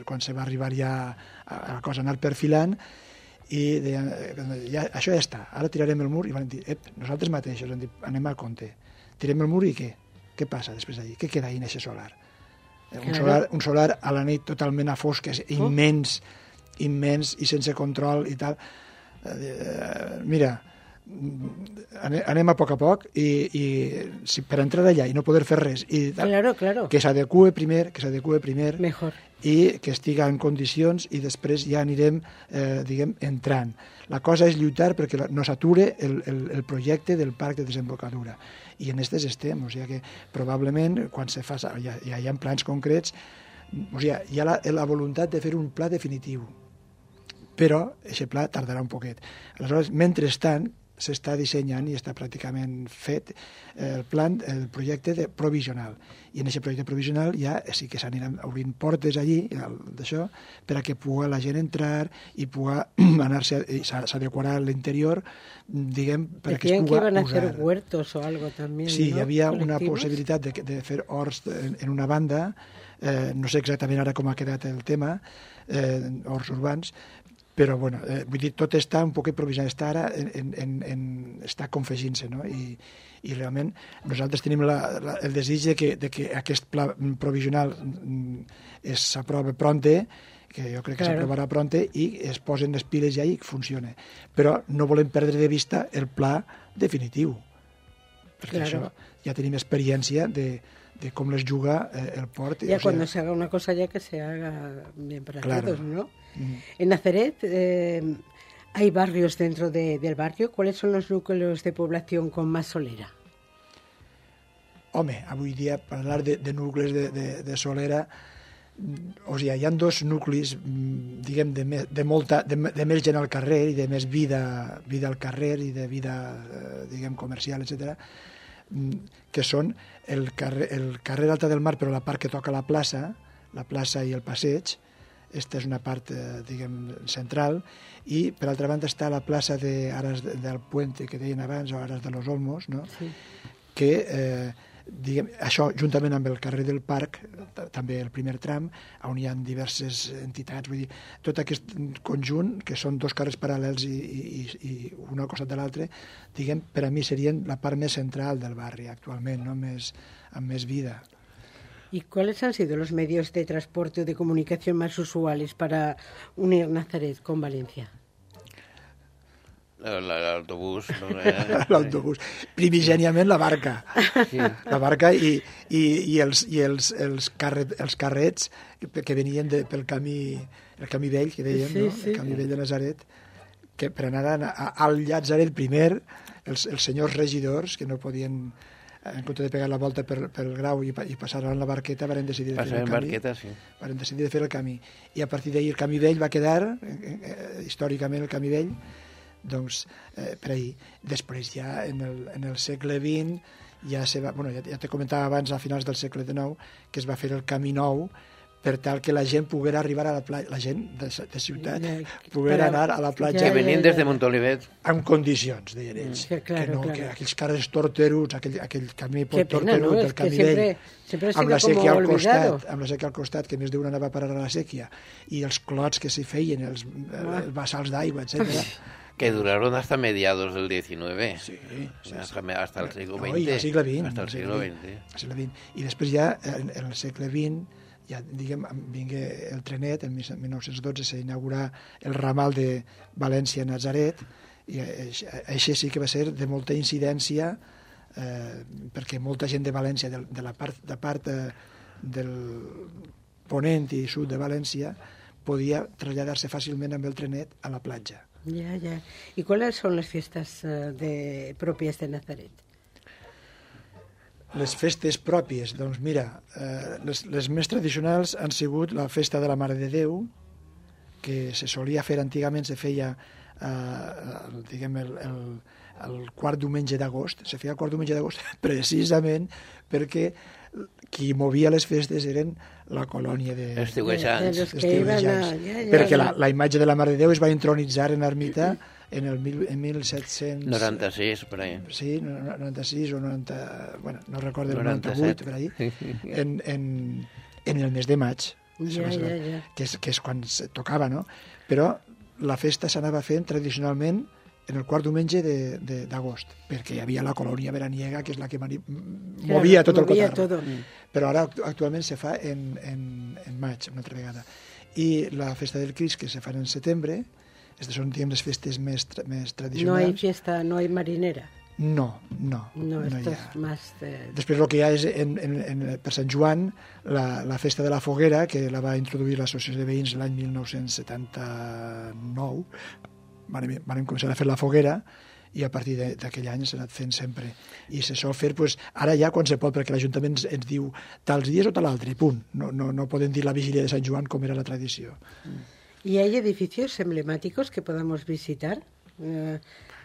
quan se va arribar ja a, a la cosa anar perfilant, i deien, ja, això ja està, ara tirarem el mur, i van dir, ep, nosaltres mateixos hem dit, anem a compte, tirem el mur i què? Què passa després d'allí? Què queda ahí en aquest solar? Claro. Un solar, un solar a la nit totalment a fosques, oh. immens, immens i sense control i tal. Eh, mira, anem a poc a poc i, i si per entrar allà i no poder fer res i tal, claro, claro. que s'adeqüe primer, que s'adeqüe primer Mejor. I que estiga en condicions i després ja anirem eh, diguem, entrant. La cosa és lluitar perquè no s'ature el, el, el projecte del parc de desembocadura i en aquestes estem, o sigui que probablement quan se fa, ja, ja hi ha plans concrets, o sigui, hi ha la, la voluntat de fer un pla definitiu però aquest pla tardarà un poquet. Aleshores, mentrestant, s'està dissenyant i està pràcticament fet el plan, el projecte de provisional. I en aquest projecte provisional ja sí que s'aniran obrint portes allí, d'això, per a que pugui la gent entrar i pugui anar-se, s'adequarà l'interior, diguem, per a que es pugui usar. Decían que iban a hacer huertos o algo también, Sí, ¿no? Hi havia una ¿Colectivos? possibilitat de, de fer horts en, en una banda, eh, no sé exactament ara com ha quedat el tema, eh, horts urbans, però bueno, eh, vull dir, tot està un poc provisional, està ara en, en, en, està confegint-se, no? I, i realment nosaltres tenim la, la, el desig de que, de que aquest pla provisional s'aprova pronte, que jo crec que claro. s'aprovarà pronte, i es posen les piles ja i funciona. Però no volem perdre de vista el pla definitiu, perquè claro. això ja tenim experiència de de cómo les juga eh, el port. Ya o cuando sea, se haga una cosa ya que se haga bien para claro. todos, ¿no? Mm. En Nazaret eh, hay barrios dentro de, del barrio. ¿Cuáles son los núcleos de población con más solera? Home, avui dia parlar de, de nuclis de, de, de solera, o sigui, hi ha dos nuclis, diguem, de, me, de, molta, de, de més gent al carrer i de més vida, vida al carrer i de vida, eh, diguem, comercial, etcètera, que són el carrer, el carrer Alta del Mar, però la part que toca la plaça, la plaça i el passeig. Esta és una part, eh, diguem, central, i per altra banda està la plaça de Aras del Puente, que deien abans, o Aras de los Olmos, no? Sí. Que, eh, diguem, això, juntament amb el carrer del Parc, també el primer tram, on hi ha diverses entitats, vull dir, tot aquest conjunt, que són dos carrers paral·lels i, i, i un al costat de l'altre, diguem, per a mi serien la part més central del barri actualment, no? Més, amb més vida. ¿Y cuáles han sido los medios de transporte o de comunicación más usuales para unir Nazaret con Valencia? L'autobús. L'autobús. Primigèniament la barca. Sí. La barca i, i, i, els, i els, els, carret, els carrets que venien de, pel camí, el camí vell, que dèiem, sí, no? Sí. El camí vell de Nazaret, que per anar a, a, al Llazaret primer, els, els senyors regidors, que no podien, en compte de pegar la volta per, per el Grau i, i passar en la barqueta, van decidir de fer el camí. Barqueta, sí. Van decidir de fer el camí. I a partir d'ahir el camí vell va quedar, eh, eh, històricament el camí vell, doncs, eh, per ahir. Després ja en el, en el segle vint ja, se va, bueno, ja, ja te comentava abans a finals del segle dinou que es va fer el camí nou per tal que la gent poguera arribar a la platja, la gent de, de ciutat Ja, poguera para- anar a la platja ja, Que venien ja, des de ja. Montolivet. en condicions, deien ells. Sí, claro, que, no, claro. que aquells carrers torteruts, aquell, aquell camí Qué pena, torterut, ¿no? el Es que camí siempre, vell, siempre ha amb sido la sèquia como al olvidado. costat, amb la sèquia al costat, que més d'un anava a parar a la sèquia, i els clots que s'hi feien, els, els bassals d'aigua, etcètera. Que duraron hasta mediados del diecinueve. Sí, sí, hasta, hasta el siglo No, veinte. i al segle vint. Hasta el siglo veinte. Al segle vint. I després ja, en, en el segle vint, ja, diguem, vingué el trenet, en mil nou-cents dotze s'inaugurà el ramal de València-Nazaret, i això sí que va ser de molta incidència, eh, perquè molta gent de València, de, de la part, de part eh, del ponent i sud de València, podia traslladar-se fàcilment amb el trenet a la platja. Ya, ya. ¿Y cuáles son las fiestas uh, de, propias de Nazaret? Les festes pròpies, doncs mira, eh, les, les més tradicionals han sigut la festa de la Mare de Déu, que se solia fer antigament, se feia eh, el, diguem, el, el, el quart diumenge d'agost, se feia el quart diumenge d'agost precisament perquè qui movia les festes eren la colònia de... Estiuejants. De los que estiuejants. iban a- ya, ya, perquè ya. la, la imatge de la Mare de Déu es va intronitzar en l'ermita en el mil, en mil set-cents... noranta-sis, por ahí. Sí, noranta-sis o noranta... Bueno, no recordo, el noranta-set. noranta-vuit, per ahí, en, en, en el mes de maig, Ja, ja, ja. que és, que és quan se tocava, no? Però la festa s'anava fent tradicionalment en el quart diumenge de- de- d'agost, perquè hi havia la colònia veraniega, que és la que mani, movia tot el movia cotarro. todo. Però ara actu- actualment se fa en, en, en maig, una altra vegada. I la festa del Crist, que se fa en setembre, aquestes són, diguem, les festes més, tra més No hay tradicionals. fiesta, no hay marinera. No, no, No, no esto hi ha. es más de... Després el que hi ha és, en, en, en, per Sant Joan, la, la festa de la foguera, que la va introduir l'Associació de Veïns l'any mil nou-cents setanta-nou. Van, van començar a fer la foguera i a partir de- d'aquell any s'ha anat fent sempre. I se sol fer, pues, ara ja quan se pot, perquè l'Ajuntament ens, ens diu tals dies o tal altre, i punt. No, no, no poden dir la vigília de Sant Joan com era la tradició. ¿Y hay edificios emblemáticos que podamos visitar eh,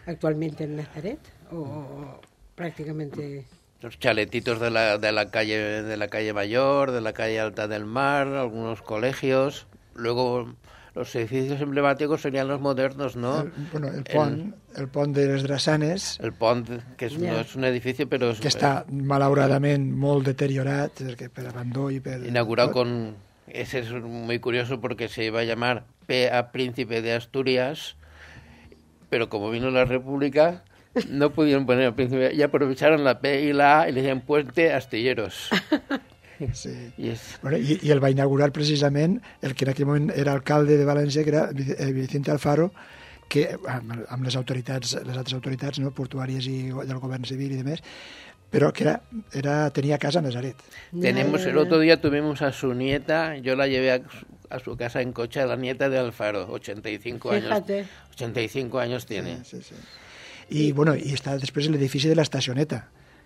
actualmente en Nazaret? ¿O prácticamente...? Los chaletitos de la, de la calle de la calle Mayor, de la calle Alta del Mar, algunos colegios. Luego los edificios emblemáticos serían los modernos, ¿no? El, bueno, el pont, el, el pont de les Drassanes. El pont, que es, yeah. no és un edifici, però... És, que està, malauradament, molt deteriorat, per abandó i per... Inaugurado con... Ese es muy curioso porque se iba a llamar P A Príncipe de Asturias, pero como vino la República... No pudieron poner al príncipe, y aprovecharon la P y la A y le decían Puente Astilleros. Sí. I, és... bueno, i, I el va inaugurar precisament el que en aquell moment era alcalde de València, que era Vicente Alfaro, que amb, amb les autoritats, les altres autoritats, no, portuàries i del govern civil i demés, pero que era, era, tenía casa en Nazaret. Tenemos, el otro día tuvimos a su nieta, yo la llevé a, a su casa en coche, a la nieta de Alfaro, ochenta y cinco Fíjate. años. ochenta y cinco años tiene. Sí, sí, sí. I, bueno, i està després l'edifici de l'estacioneta,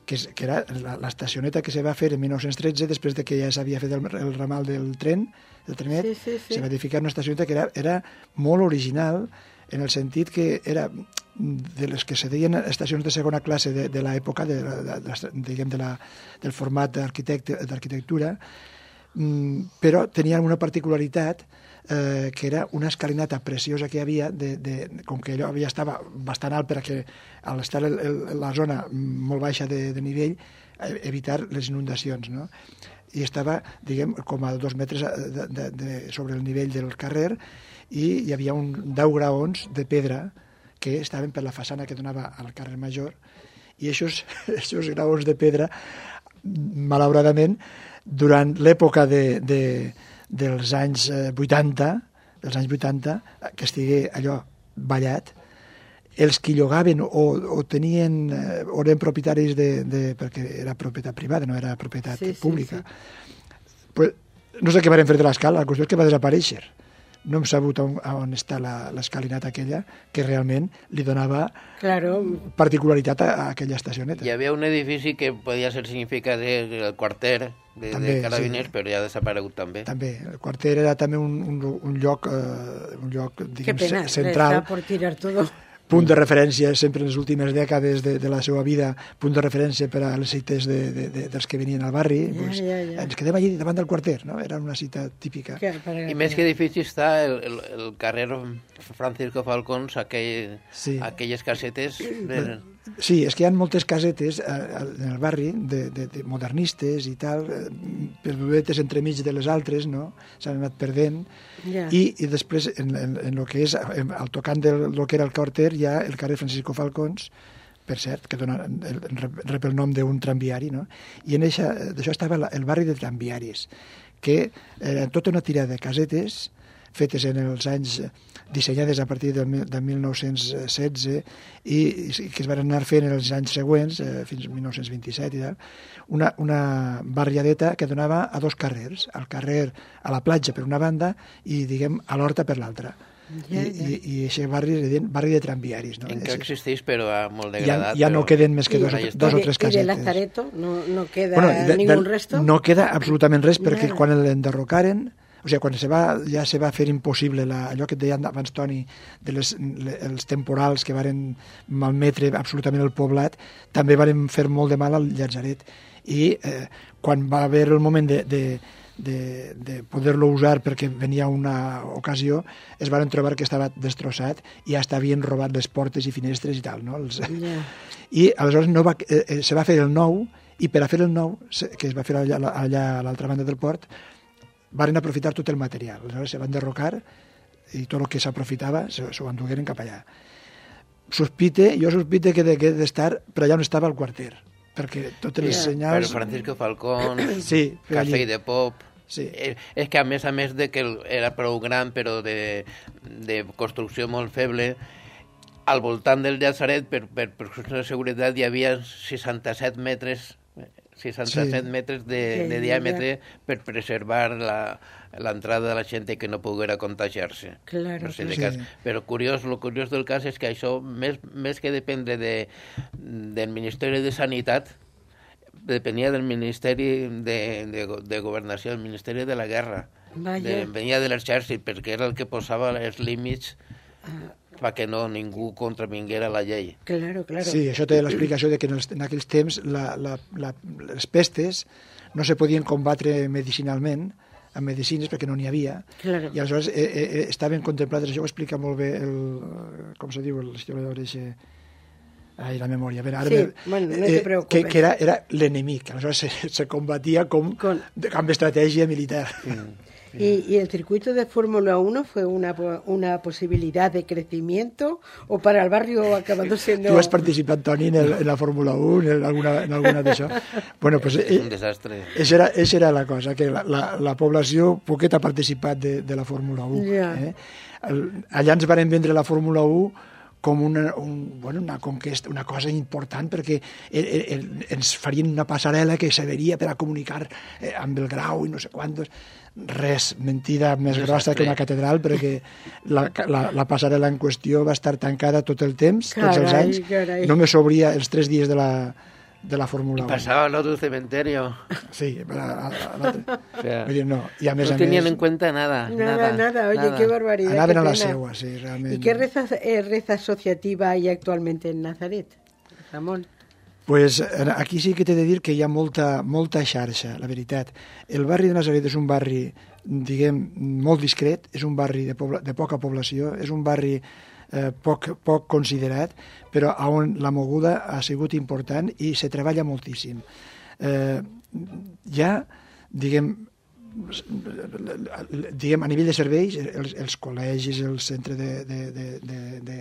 que, és, que era l'estacioneta que se va fer en mil nou-cents tretze, després de que ja s'havia fet el, el ramal del tren, del trenet, sí, sí, sí. se va edificar una estacioneta que era, era molt original, en el sentit que era de les que se deien estacions de segona classe de, de l'època, de, de, de, diguem, de la, del format d'arquitectura, però tenien una particularitat, Eh, que era una escalinata preciosa que hi havia, de, de, com que allò ja estava bastant alt perquè al estar el, el, la zona molt baixa de, de nivell, evitar les inundacions, no? I estava, diguem, com a dos metres de, de, de, sobre el nivell del carrer, i hi havia un deu graons de pedra que estaven per la façana que donava al carrer Major, i aquests graons de pedra, malauradament, durant l'època de, de dels anys vuitanta, dels anys vuitanta, que estigui allò ballat, els que llogaven o, o tenien, o eren propietaris de, de... perquè era propietat privada, no era propietat sí, pública. Sí, sí. Pues, no sé què van fer de l'escala, la qüestió és que va desaparèixer. No hem sabut on, on està l'escalinata aquella, que realment li donava claro. particularitat a, a aquella estacioneta. Hi havia un edifici que podia ser significat el quarter de, també, de Carabiners, sí. Però ja ha desaparegut també. També. El quarter era també un, un, un lloc, eh, un lloc diguem, Qué pena, central. Está por tirar todo. Punt de referència sempre en les últimes dècades de, de la seva vida, punt de referència per a les cites de, de, de, dels que venien al barri. Ja, pues, ja, ja. Ens quedem allí davant del quarter, no? Era una cita típica. Que, para, I més que edifici està el, el, el carrer Francisco Falcons, aquell, sí. aquelles casetes... De... Sí, és que hi ha moltes casetes eh, en el barri de, de, de modernistes i tal, eh, perdudetes entremig de les altres, no? S'han anat perdent. Yeah. I, i després, en, en, en el que és, en, al tocant del lo que era el quarter, hi ha el carrer Francisco Falcons, per cert, que dona, el, rep el nom d'un tramviari, no? I en d'això estava la, el barri de tramviaris, que era tota una tira de casetes fetes en els anys, dissenyades a partir del, de mil nou-cents setze i, i que es van anar fent en els anys següents, eh, fins al mil nou-cents vint-i-set i tal, una, una barriadeta que donava a dos carrers, al carrer a la platja per una banda i, diguem, a l'horta per l'altra. Ja, ja. I, i aquest barri es deien barri de tramviaris. No? Encara existeix, però molt degradat. Ja, ja però... no queden més que dos, dos o tres casetes. I de Lazareto no, no queda bueno, de, ningún de, resto? No queda absolutament res, perquè Nada. quan l'enderrocaren, o sigui, quan se va, ja se va fer impossible la, allò que et deia abans, Toni, de les, le, els temporals que varen malmetre absolutament el poblat, també varen fer molt de mal al Llazaret. I eh, quan va haver el moment de, de, de, de poder-lo usar perquè venia una ocasió, es van trobar que estava destrossat i ja havien robat les portes i finestres i tal, no? Els... Yeah. I aleshores no va, eh, se va fer el nou, i per a fer el nou, que es va fer allà, allà a l'altra banda del port, varen aprofitar tot el material. Aleshores se van derrocar i tot el que s'aprofitava s'ho endugueren cap allà. Sospite, jo sospite que de, que d'estar per allà on estava el quarter, perquè totes les yeah. senyals... Però Francisco Falcón, sí, Cafè de Pop... Sí. És, és que a més a més de que era prou gran però de, de construcció molt feble, al voltant del Llazaret, per, per, per qüestions de seguretat, hi havia seixanta-set metres seixanta-set sí. metres de, sí, de diàmetre ja. Per preservar l'entrada de la gent que no poguera contagiar-se. Claro, no sé claro. De cas. Sí. Però curiós, lo curiós del cas és que això, més, més que dependre de, del Ministeri de Sanitat, depenia del Ministeri de, de, de Governació, del Ministeri de la Guerra. De, venia de l'exèrcit, perquè era el que posava els límits Ah. perquè no ningú contravinguera la llei. Claro, claro. Sí, això té l'explicació de que en, els, en aquells temps la, la, la, les pestes no se podien combatre medicinalment, amb medicines, perquè no n'hi havia, Claro. i aleshores eh, eh, estaven contemplades, això ho explica molt bé el, com se diu, l'historiador eixe, ai, la memòria, a veure, ara Sí, me, bueno, no te preocupes. que, que era, era l'enemic, aleshores se, se combatia com, Con- amb estratègia militar. ¿Y, y el circuito de Fórmula uno fue una, po- una posibilidad de crecimiento o para el barrio acabando siendo... Tu has participat, Toni, en, el, en la Fórmula uno, en alguna, en alguna d'això? Bueno, pues, És eh, un desastre. Això era, això era la cosa, que la, la, la població poquet ha participat de, de la Fórmula uno. Ja. Eh? El, allà ens varen vendre la Fórmula uno com una, un, bueno, una conquesta, una cosa important, perquè el, el, ens farien una passarel·la que serviria per a comunicar eh, amb el grau i no sé quantos. Res, mentida més Desastre. grossa que una catedral, perquè la, la, la passarel·la en qüestió va estar tancada tot el temps, tots els Carai, anys. carai. Només s'obria els tres dies de la, de la Fórmula I uno. passava al otro cementerio. Sí, a, a, a l'altre. O sea, Vull dir, no. I a més no a tenían més, en cuenta nada. Nada, nada, oye, nada. qué barbaridad. anaven qué a la pena. seua, sí, realment. ¿Y qué reza, eh, reza asociativa hay actualmente en Nazaret, Ramón? Pues eh, aquí sí que t'he de dir que hi ha molta, molta xarxa, la veritat. El barri de Nazaret és un barri, diguem, molt discret, és un barri de, pobla, de poca població, és un barri eh, poc, poc considerat, però on la moguda ha sigut important i se treballa moltíssim. Eh, ja, diguem, diguem, a nivell de serveis, els, els col·legis, el centre de, de, de, de, de,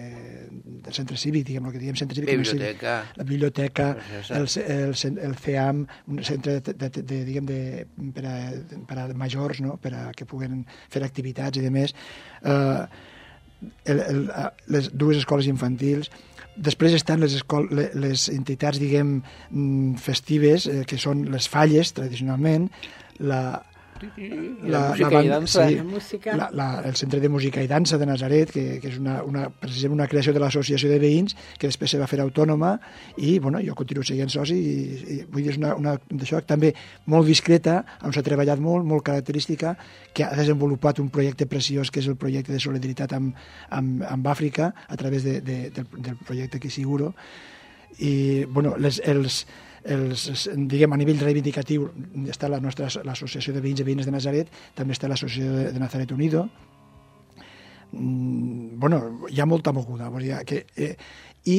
de centre cívic, diguem, el que diguem centre cívic, Biblioteca. la biblioteca, el, Exacte. el, el C E A M, un centre de, de, de, de, diguem, de, per, a, per a majors, no? Per a que puguen fer activitats i demés. Eh, el, el, les dues escoles infantils. Després estan les, escol les entitats, diguem, festives, eh, que són les falles, tradicionalment, la, la música banda- i dansa. sí, La música. la, la, el Centre de Música i Dansa de Nazaret, que, que és una, una, precisament una creació de l'associació de veïns, que després se va fer autònoma, i bueno, jo continuo sent soci, i, i vull dir, és una, una d'això també molt discreta, on s'ha treballat molt, molt característica, que ha desenvolupat un projecte preciós, que és el projecte de solidaritat amb, amb, amb Àfrica, a través de, de, del, del projecte Kissiguro, i bueno, les, els, els, diguem, a nivell reivindicatiu està la nostra l'associació de veïns i veïnes de Nazaret, també està l'associació de, de Nazaret Unido. Mm, bueno, hi ha molta moguda, vull dir que eh, i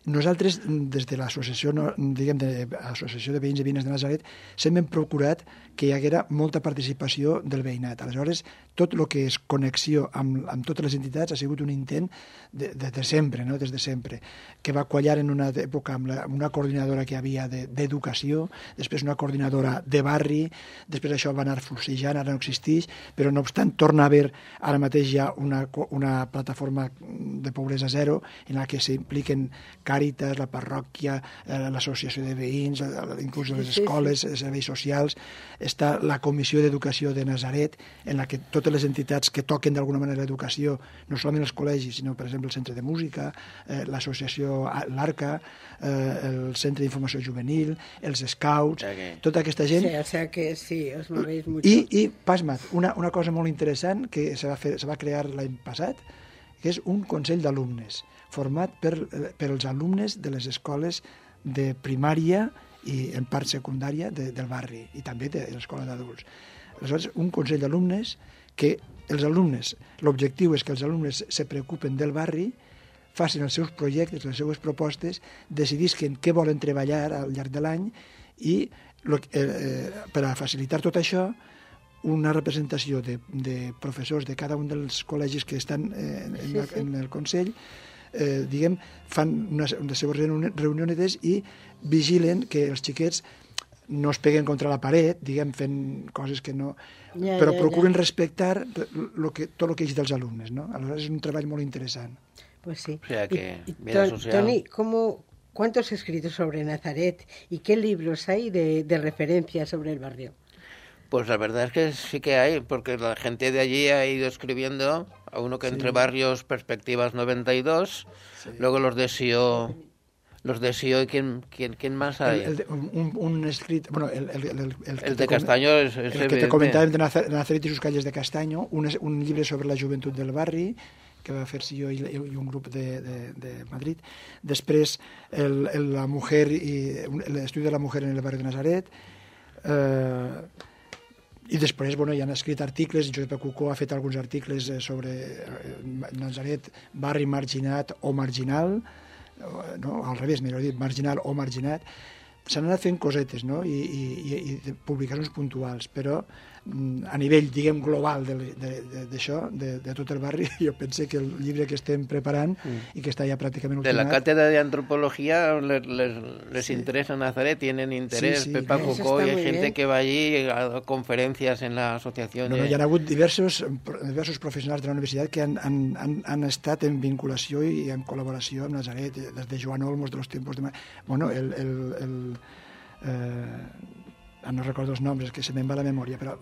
nosaltres, des de l'associació, no, diguem, de l'associació de veïns i veïnes de Nazaret, sempre hem procurat que hi haguera molta participació del veïnat. Aleshores, tot el que és connexió amb, amb totes les entitats ha sigut un intent de, de, de sempre, no? Des de sempre, que va quallar en una època amb, la, amb una coordinadora que hi havia d'educació, de, després una coordinadora de barri, després això va anar fluixejant, ara no existeix, però no obstant torna a haver ara mateix ja una, una plataforma de pobresa zero en la que s'impliquen Càritas, la parròquia, eh, l'associació de veïns, inclús les escoles, serveis socials. Està la Comissió d'Educació de Nazaret, en la que totes les entitats que toquen d'alguna manera l'educació, no solament els col·legis, sinó, per exemple, el Centre de Música, eh, l'associació l'Arca, eh, el Centre d'Informació Juvenil, els Scouts, Okay. tota aquesta gent. Sí, o sea que sí, os movéis mucho. I, i pasma't, una, una cosa molt interessant que se va, fer, se va crear l'any passat, que és un consell d'alumnes, format per, per els alumnes de les escoles de primària i en part secundària de, del barri i també de l'escola d'adults. Aleshores, un consell d'alumnes que els alumnes, l'objectiu és que els alumnes se preocupen del barri, facin els seus projectes, les seues propostes, decidisquen què volen treballar al llarg de l'any i lo, eh, per a facilitar tot això, una representació de, de professors de cada un dels col·legis que estan eh, en, Sí, la, sí. en el Consell, eh, diguem, fan unes, unes seves reunionetes i vigilen que els xiquets no es peguen contra la paret, diguem, fent coses que no... Ja, però ja, procuren ja. respectar lo que, tot el que és dels alumnes, no? Aleshores és un treball molt interessant. Pues sí. O sea que Y- y vida Ton- social. Tony, ¿cómo, ¿cuántos escritos sobre Nazaret y qué libros hay de, de referencia sobre el barrio? Pues la verdad es que sí que hay, porque la gente de allí ha ido escribiendo, a uno que entre barrios Perspectivas noventa y dos, luego los de Sio, los de Sió, ¿quién, quién, quién más hay? El, el, un, un escrit... Bueno, el, el, el, el, el, que el de Castaño com... és, és el que te comentàvem de Nazaret i sus calles de Castaño, un, un llibre sobre la joventut del barri, que va fer-se jo i, i un grup de, de, de Madrid. Després, el, el, la mujer i l'estudi de la mujer en el barri de Nazaret. Eh, I després, bueno, hi han escrit articles, Josep Cucó ha fet alguns articles sobre Nazaret, barri marginat o marginal, no? Al revés, millor dit, marginal o marginat. S'han anat fent cosetes, no? I, i, i publicacions puntuals, però a nivell, diguem, global d'això, de, de, de, de tot el barri, jo penso que el llibre que estem preparant mm. i que està ja pràcticament ultimat... De la cátedra de antropología les, les, les sí. interesa Nazaret, tienen interés. Sí, sí, Pepa Cucó, y hay gente bien. que va allí a conferencias en la asociación. No, no, hi ha hagut diversos, diversos professionals de la universitat que han, han, han, han estat en vinculació i en col·laboració amb Nazaret, des de Joan Olmos, de los tiempos de... Bueno, el... el, el eh, no recordo els noms, és que se me'n va la memòria, però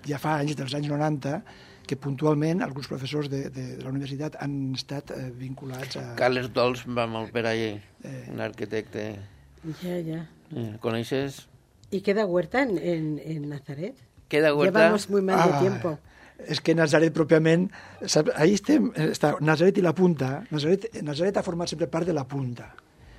ja fa anys, dels anys noranta, que puntualment alguns professors de, de, de la universitat han estat eh, vinculats a... Carles Dols va molt per allí, eh... un arquitecte. Ja, ja. ¿Coneixes? ¿Y queda huerta en, en, en Nazaret? Queda huerta... Llevamos muy mal de ah, tiempo. És que Nazaret pròpiament... Ahí estem, està Nazaret i la Punta. Nazaret, Nazaret ha format sempre part de la Punta.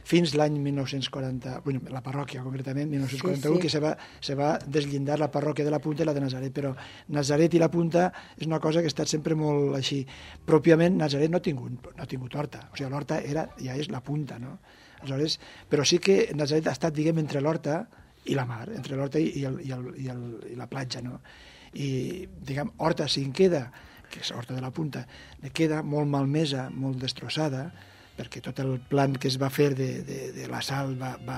Fins l'any mil nou-cents quaranta, bueno, la parròquia concretament, mil nou-cents quaranta-u, sí, sí. que se va, se va deslindar la parròquia de la Punta i la de Nazaret, però Nazaret i la Punta és una cosa que ha estat sempre molt així. Pròpiament, Nazaret no ha tingut, no ha tingut horta, o sigui, l'horta era, ja és la Punta, no? Aleshores, però sí que Nazaret ha estat, diguem, entre l'horta i la mar, entre l'horta i, el, i, el, i, el, i la platja, no? I, diguem, horta, si en queda, que és horta de la Punta, ne queda molt malmesa, molt destrossada, perquè tot el plan que es va fer de, de, de la sal va, va,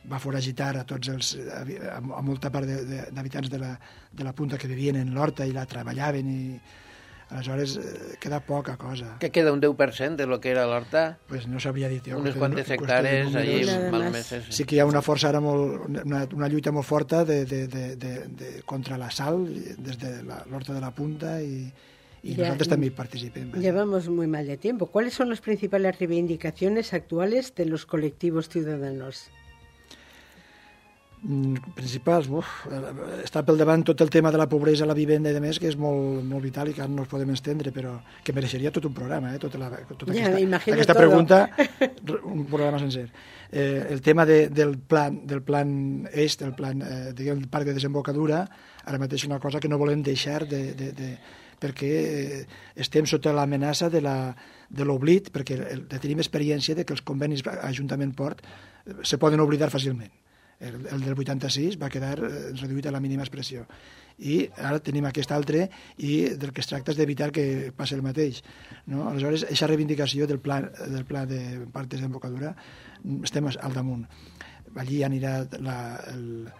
va foragitar a tots els, a, a molta part d'habitants de, de, la, de la Punta que vivien en l'horta i la treballaven i aleshores eh, queda poca cosa. ¿Qué queda? ¿Un deu per cent de lo que era l'horta? Pues no sabria dir jo. Unes quantes hectàrees allí malmeses. Sí que hi ha una força ara molt, una, una lluita molt forta de, de, de, de, de, contra la sal des de l'horta de la Punta i Y ya, nosotros también participemos. Llevamos muy mal de tiempo. ¿Cuáles son las principales reivindicaciones actuales de los colectivos ciudadanos? Mm, principals, uf, està pel davant tot el tema de la pobresa, la vivenda i demés, que és molt, molt vital i que ara no ens podem estendre, però que mereixeria tot un programa, eh? tota, la, tota ja, aquesta, aquesta pregunta, un programa sencer. Eh, el tema de, del plan del plan est, el plan eh, diguem, el parc de desembocadura, ara mateix és una cosa que no volem deixar de... de, de perquè estem sota l'amenaça de l'oblit, perquè el, tenim experiència de que els convenis Ajuntament-Port se poden oblidar fàcilment. El, el del vuitanta-sis va quedar reduït a la mínima expressió. I ara tenim aquest altre i del que es tracta és d'evitar que passi el mateix. No? Aleshores, aquesta reivindicació del pla, del pla de parc de desembocadura estem al damunt. Allí anirà la... El,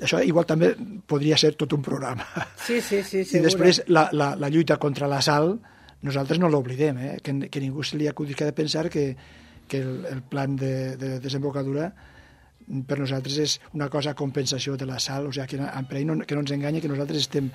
això igual també podria ser tot un programa. Sí, sí, sí, I després la, la, la lluita contra la sal, nosaltres no l'oblidem, eh? que, que ningú se li acudisca de pensar que, que el, el plan de, de desembocadura per nosaltres és una cosa a compensació de la sal, o sigui, que, no, que no ens enganyi, que nosaltres estem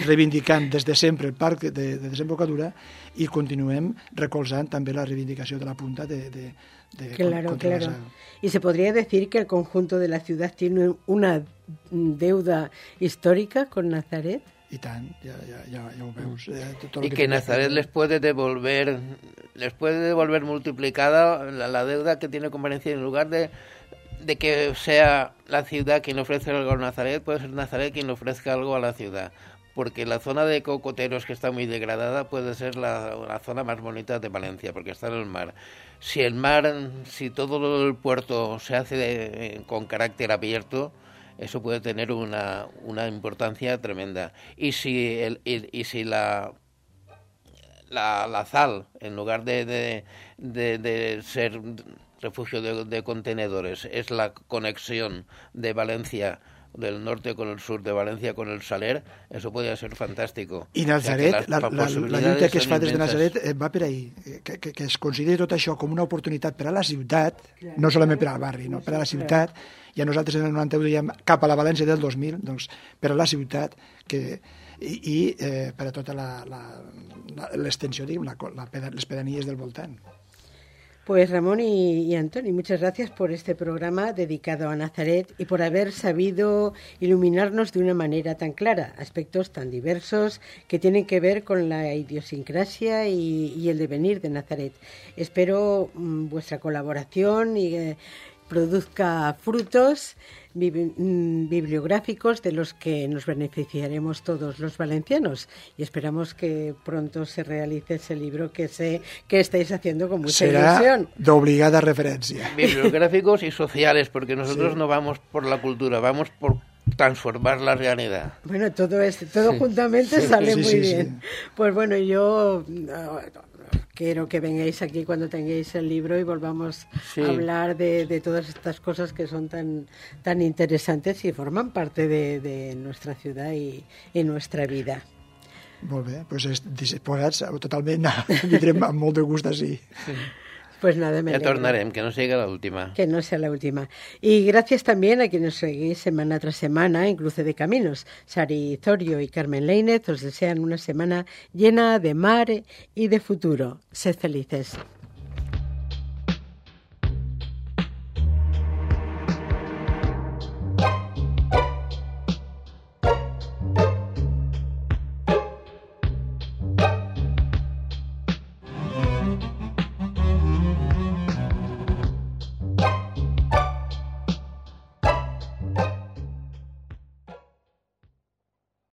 reivindicant des de sempre el parc de, de desembocadura i continuem recolzant també la reivindicació de la Punta de, de, de claro, contra claro. la sal. Y se podría decir que el conjunto de la ciudad tiene una deuda histórica con Nazaret. Y tant, ya, ya, ya, ya ho veus. Eh, y que, que Nazaret les puede devolver, les puede devolver multiplicada la, la deuda que tiene con Valencia, en lugar de de que sea la ciudad quien ofrece algo a Nazaret, puede ser Nazaret quien ofrezca algo a la ciudad. Porque la zona de cocoteros, que está muy degradada, puede ser la, la zona más bonita de Valencia, porque está en el mar. Si el mar, si todo el puerto se hace de, con carácter abierto, eso puede tener una, una importancia tremenda. Y si, el, y, y si la, la, la sal, en lugar de, de, de, de ser refugio de, de contenedores, es la conexión de Valencia, del norte con el sur, de Valencia con el Saler, eso podria ser fantàstico. I Nazaret, o sea, la, la, la lluita que es fa des de Nazaret va per ahí, que, que, que es consideri tot això com una oportunitat per a la ciutat, claro, no solament per al barri, no, per a la ciutat, claro. I a nosaltres en el noranta-u dèiem cap a la València del dos mil, doncs per a la ciutat, que, i, i eh, per a tota l'extensió, diguem, la, la, les pedanies del voltant. Pues Ramón y, y Antoni, muchas gracias por este programa dedicado a Nazaret y por haber sabido iluminarnos de una manera tan clara aspectos tan diversos que tienen que ver con la idiosincrasia y, y el devenir de Nazaret. Espero mm, vuestra colaboración y eh, produzca frutos bibliográficos de los que nos beneficiaremos todos los valencianos y esperamos que pronto se realice ese libro que sé que estáis haciendo con mucha Será ilusión. De obligada referencia. Bibliográficos y sociales, porque nosotros Sí. no vamos por la cultura, vamos por transformar la realidad. Bueno, todo es, todo juntamente sale Sí, muy sí, bien. sí. Pues bueno, yo no, quiero que vengáis aquí cuando tengáis el libro y volvamos Sí. a hablar de, de todas estas cosas que son tan, tan interesantes y forman parte de, de nuestra ciudad y, y nuestra vida. Molt bé, doncs disposats totalment, vindrem amb molt de gust així. Pues nada, me Ya alegro. tornarem, que no siga la última. Que no sea la última. Y gracias también a quienes seguís semana tras semana en Cruce de Caminos. Sari Zorio y Carmen Leinez os desean una semana llena de mar y de futuro. Sed felices.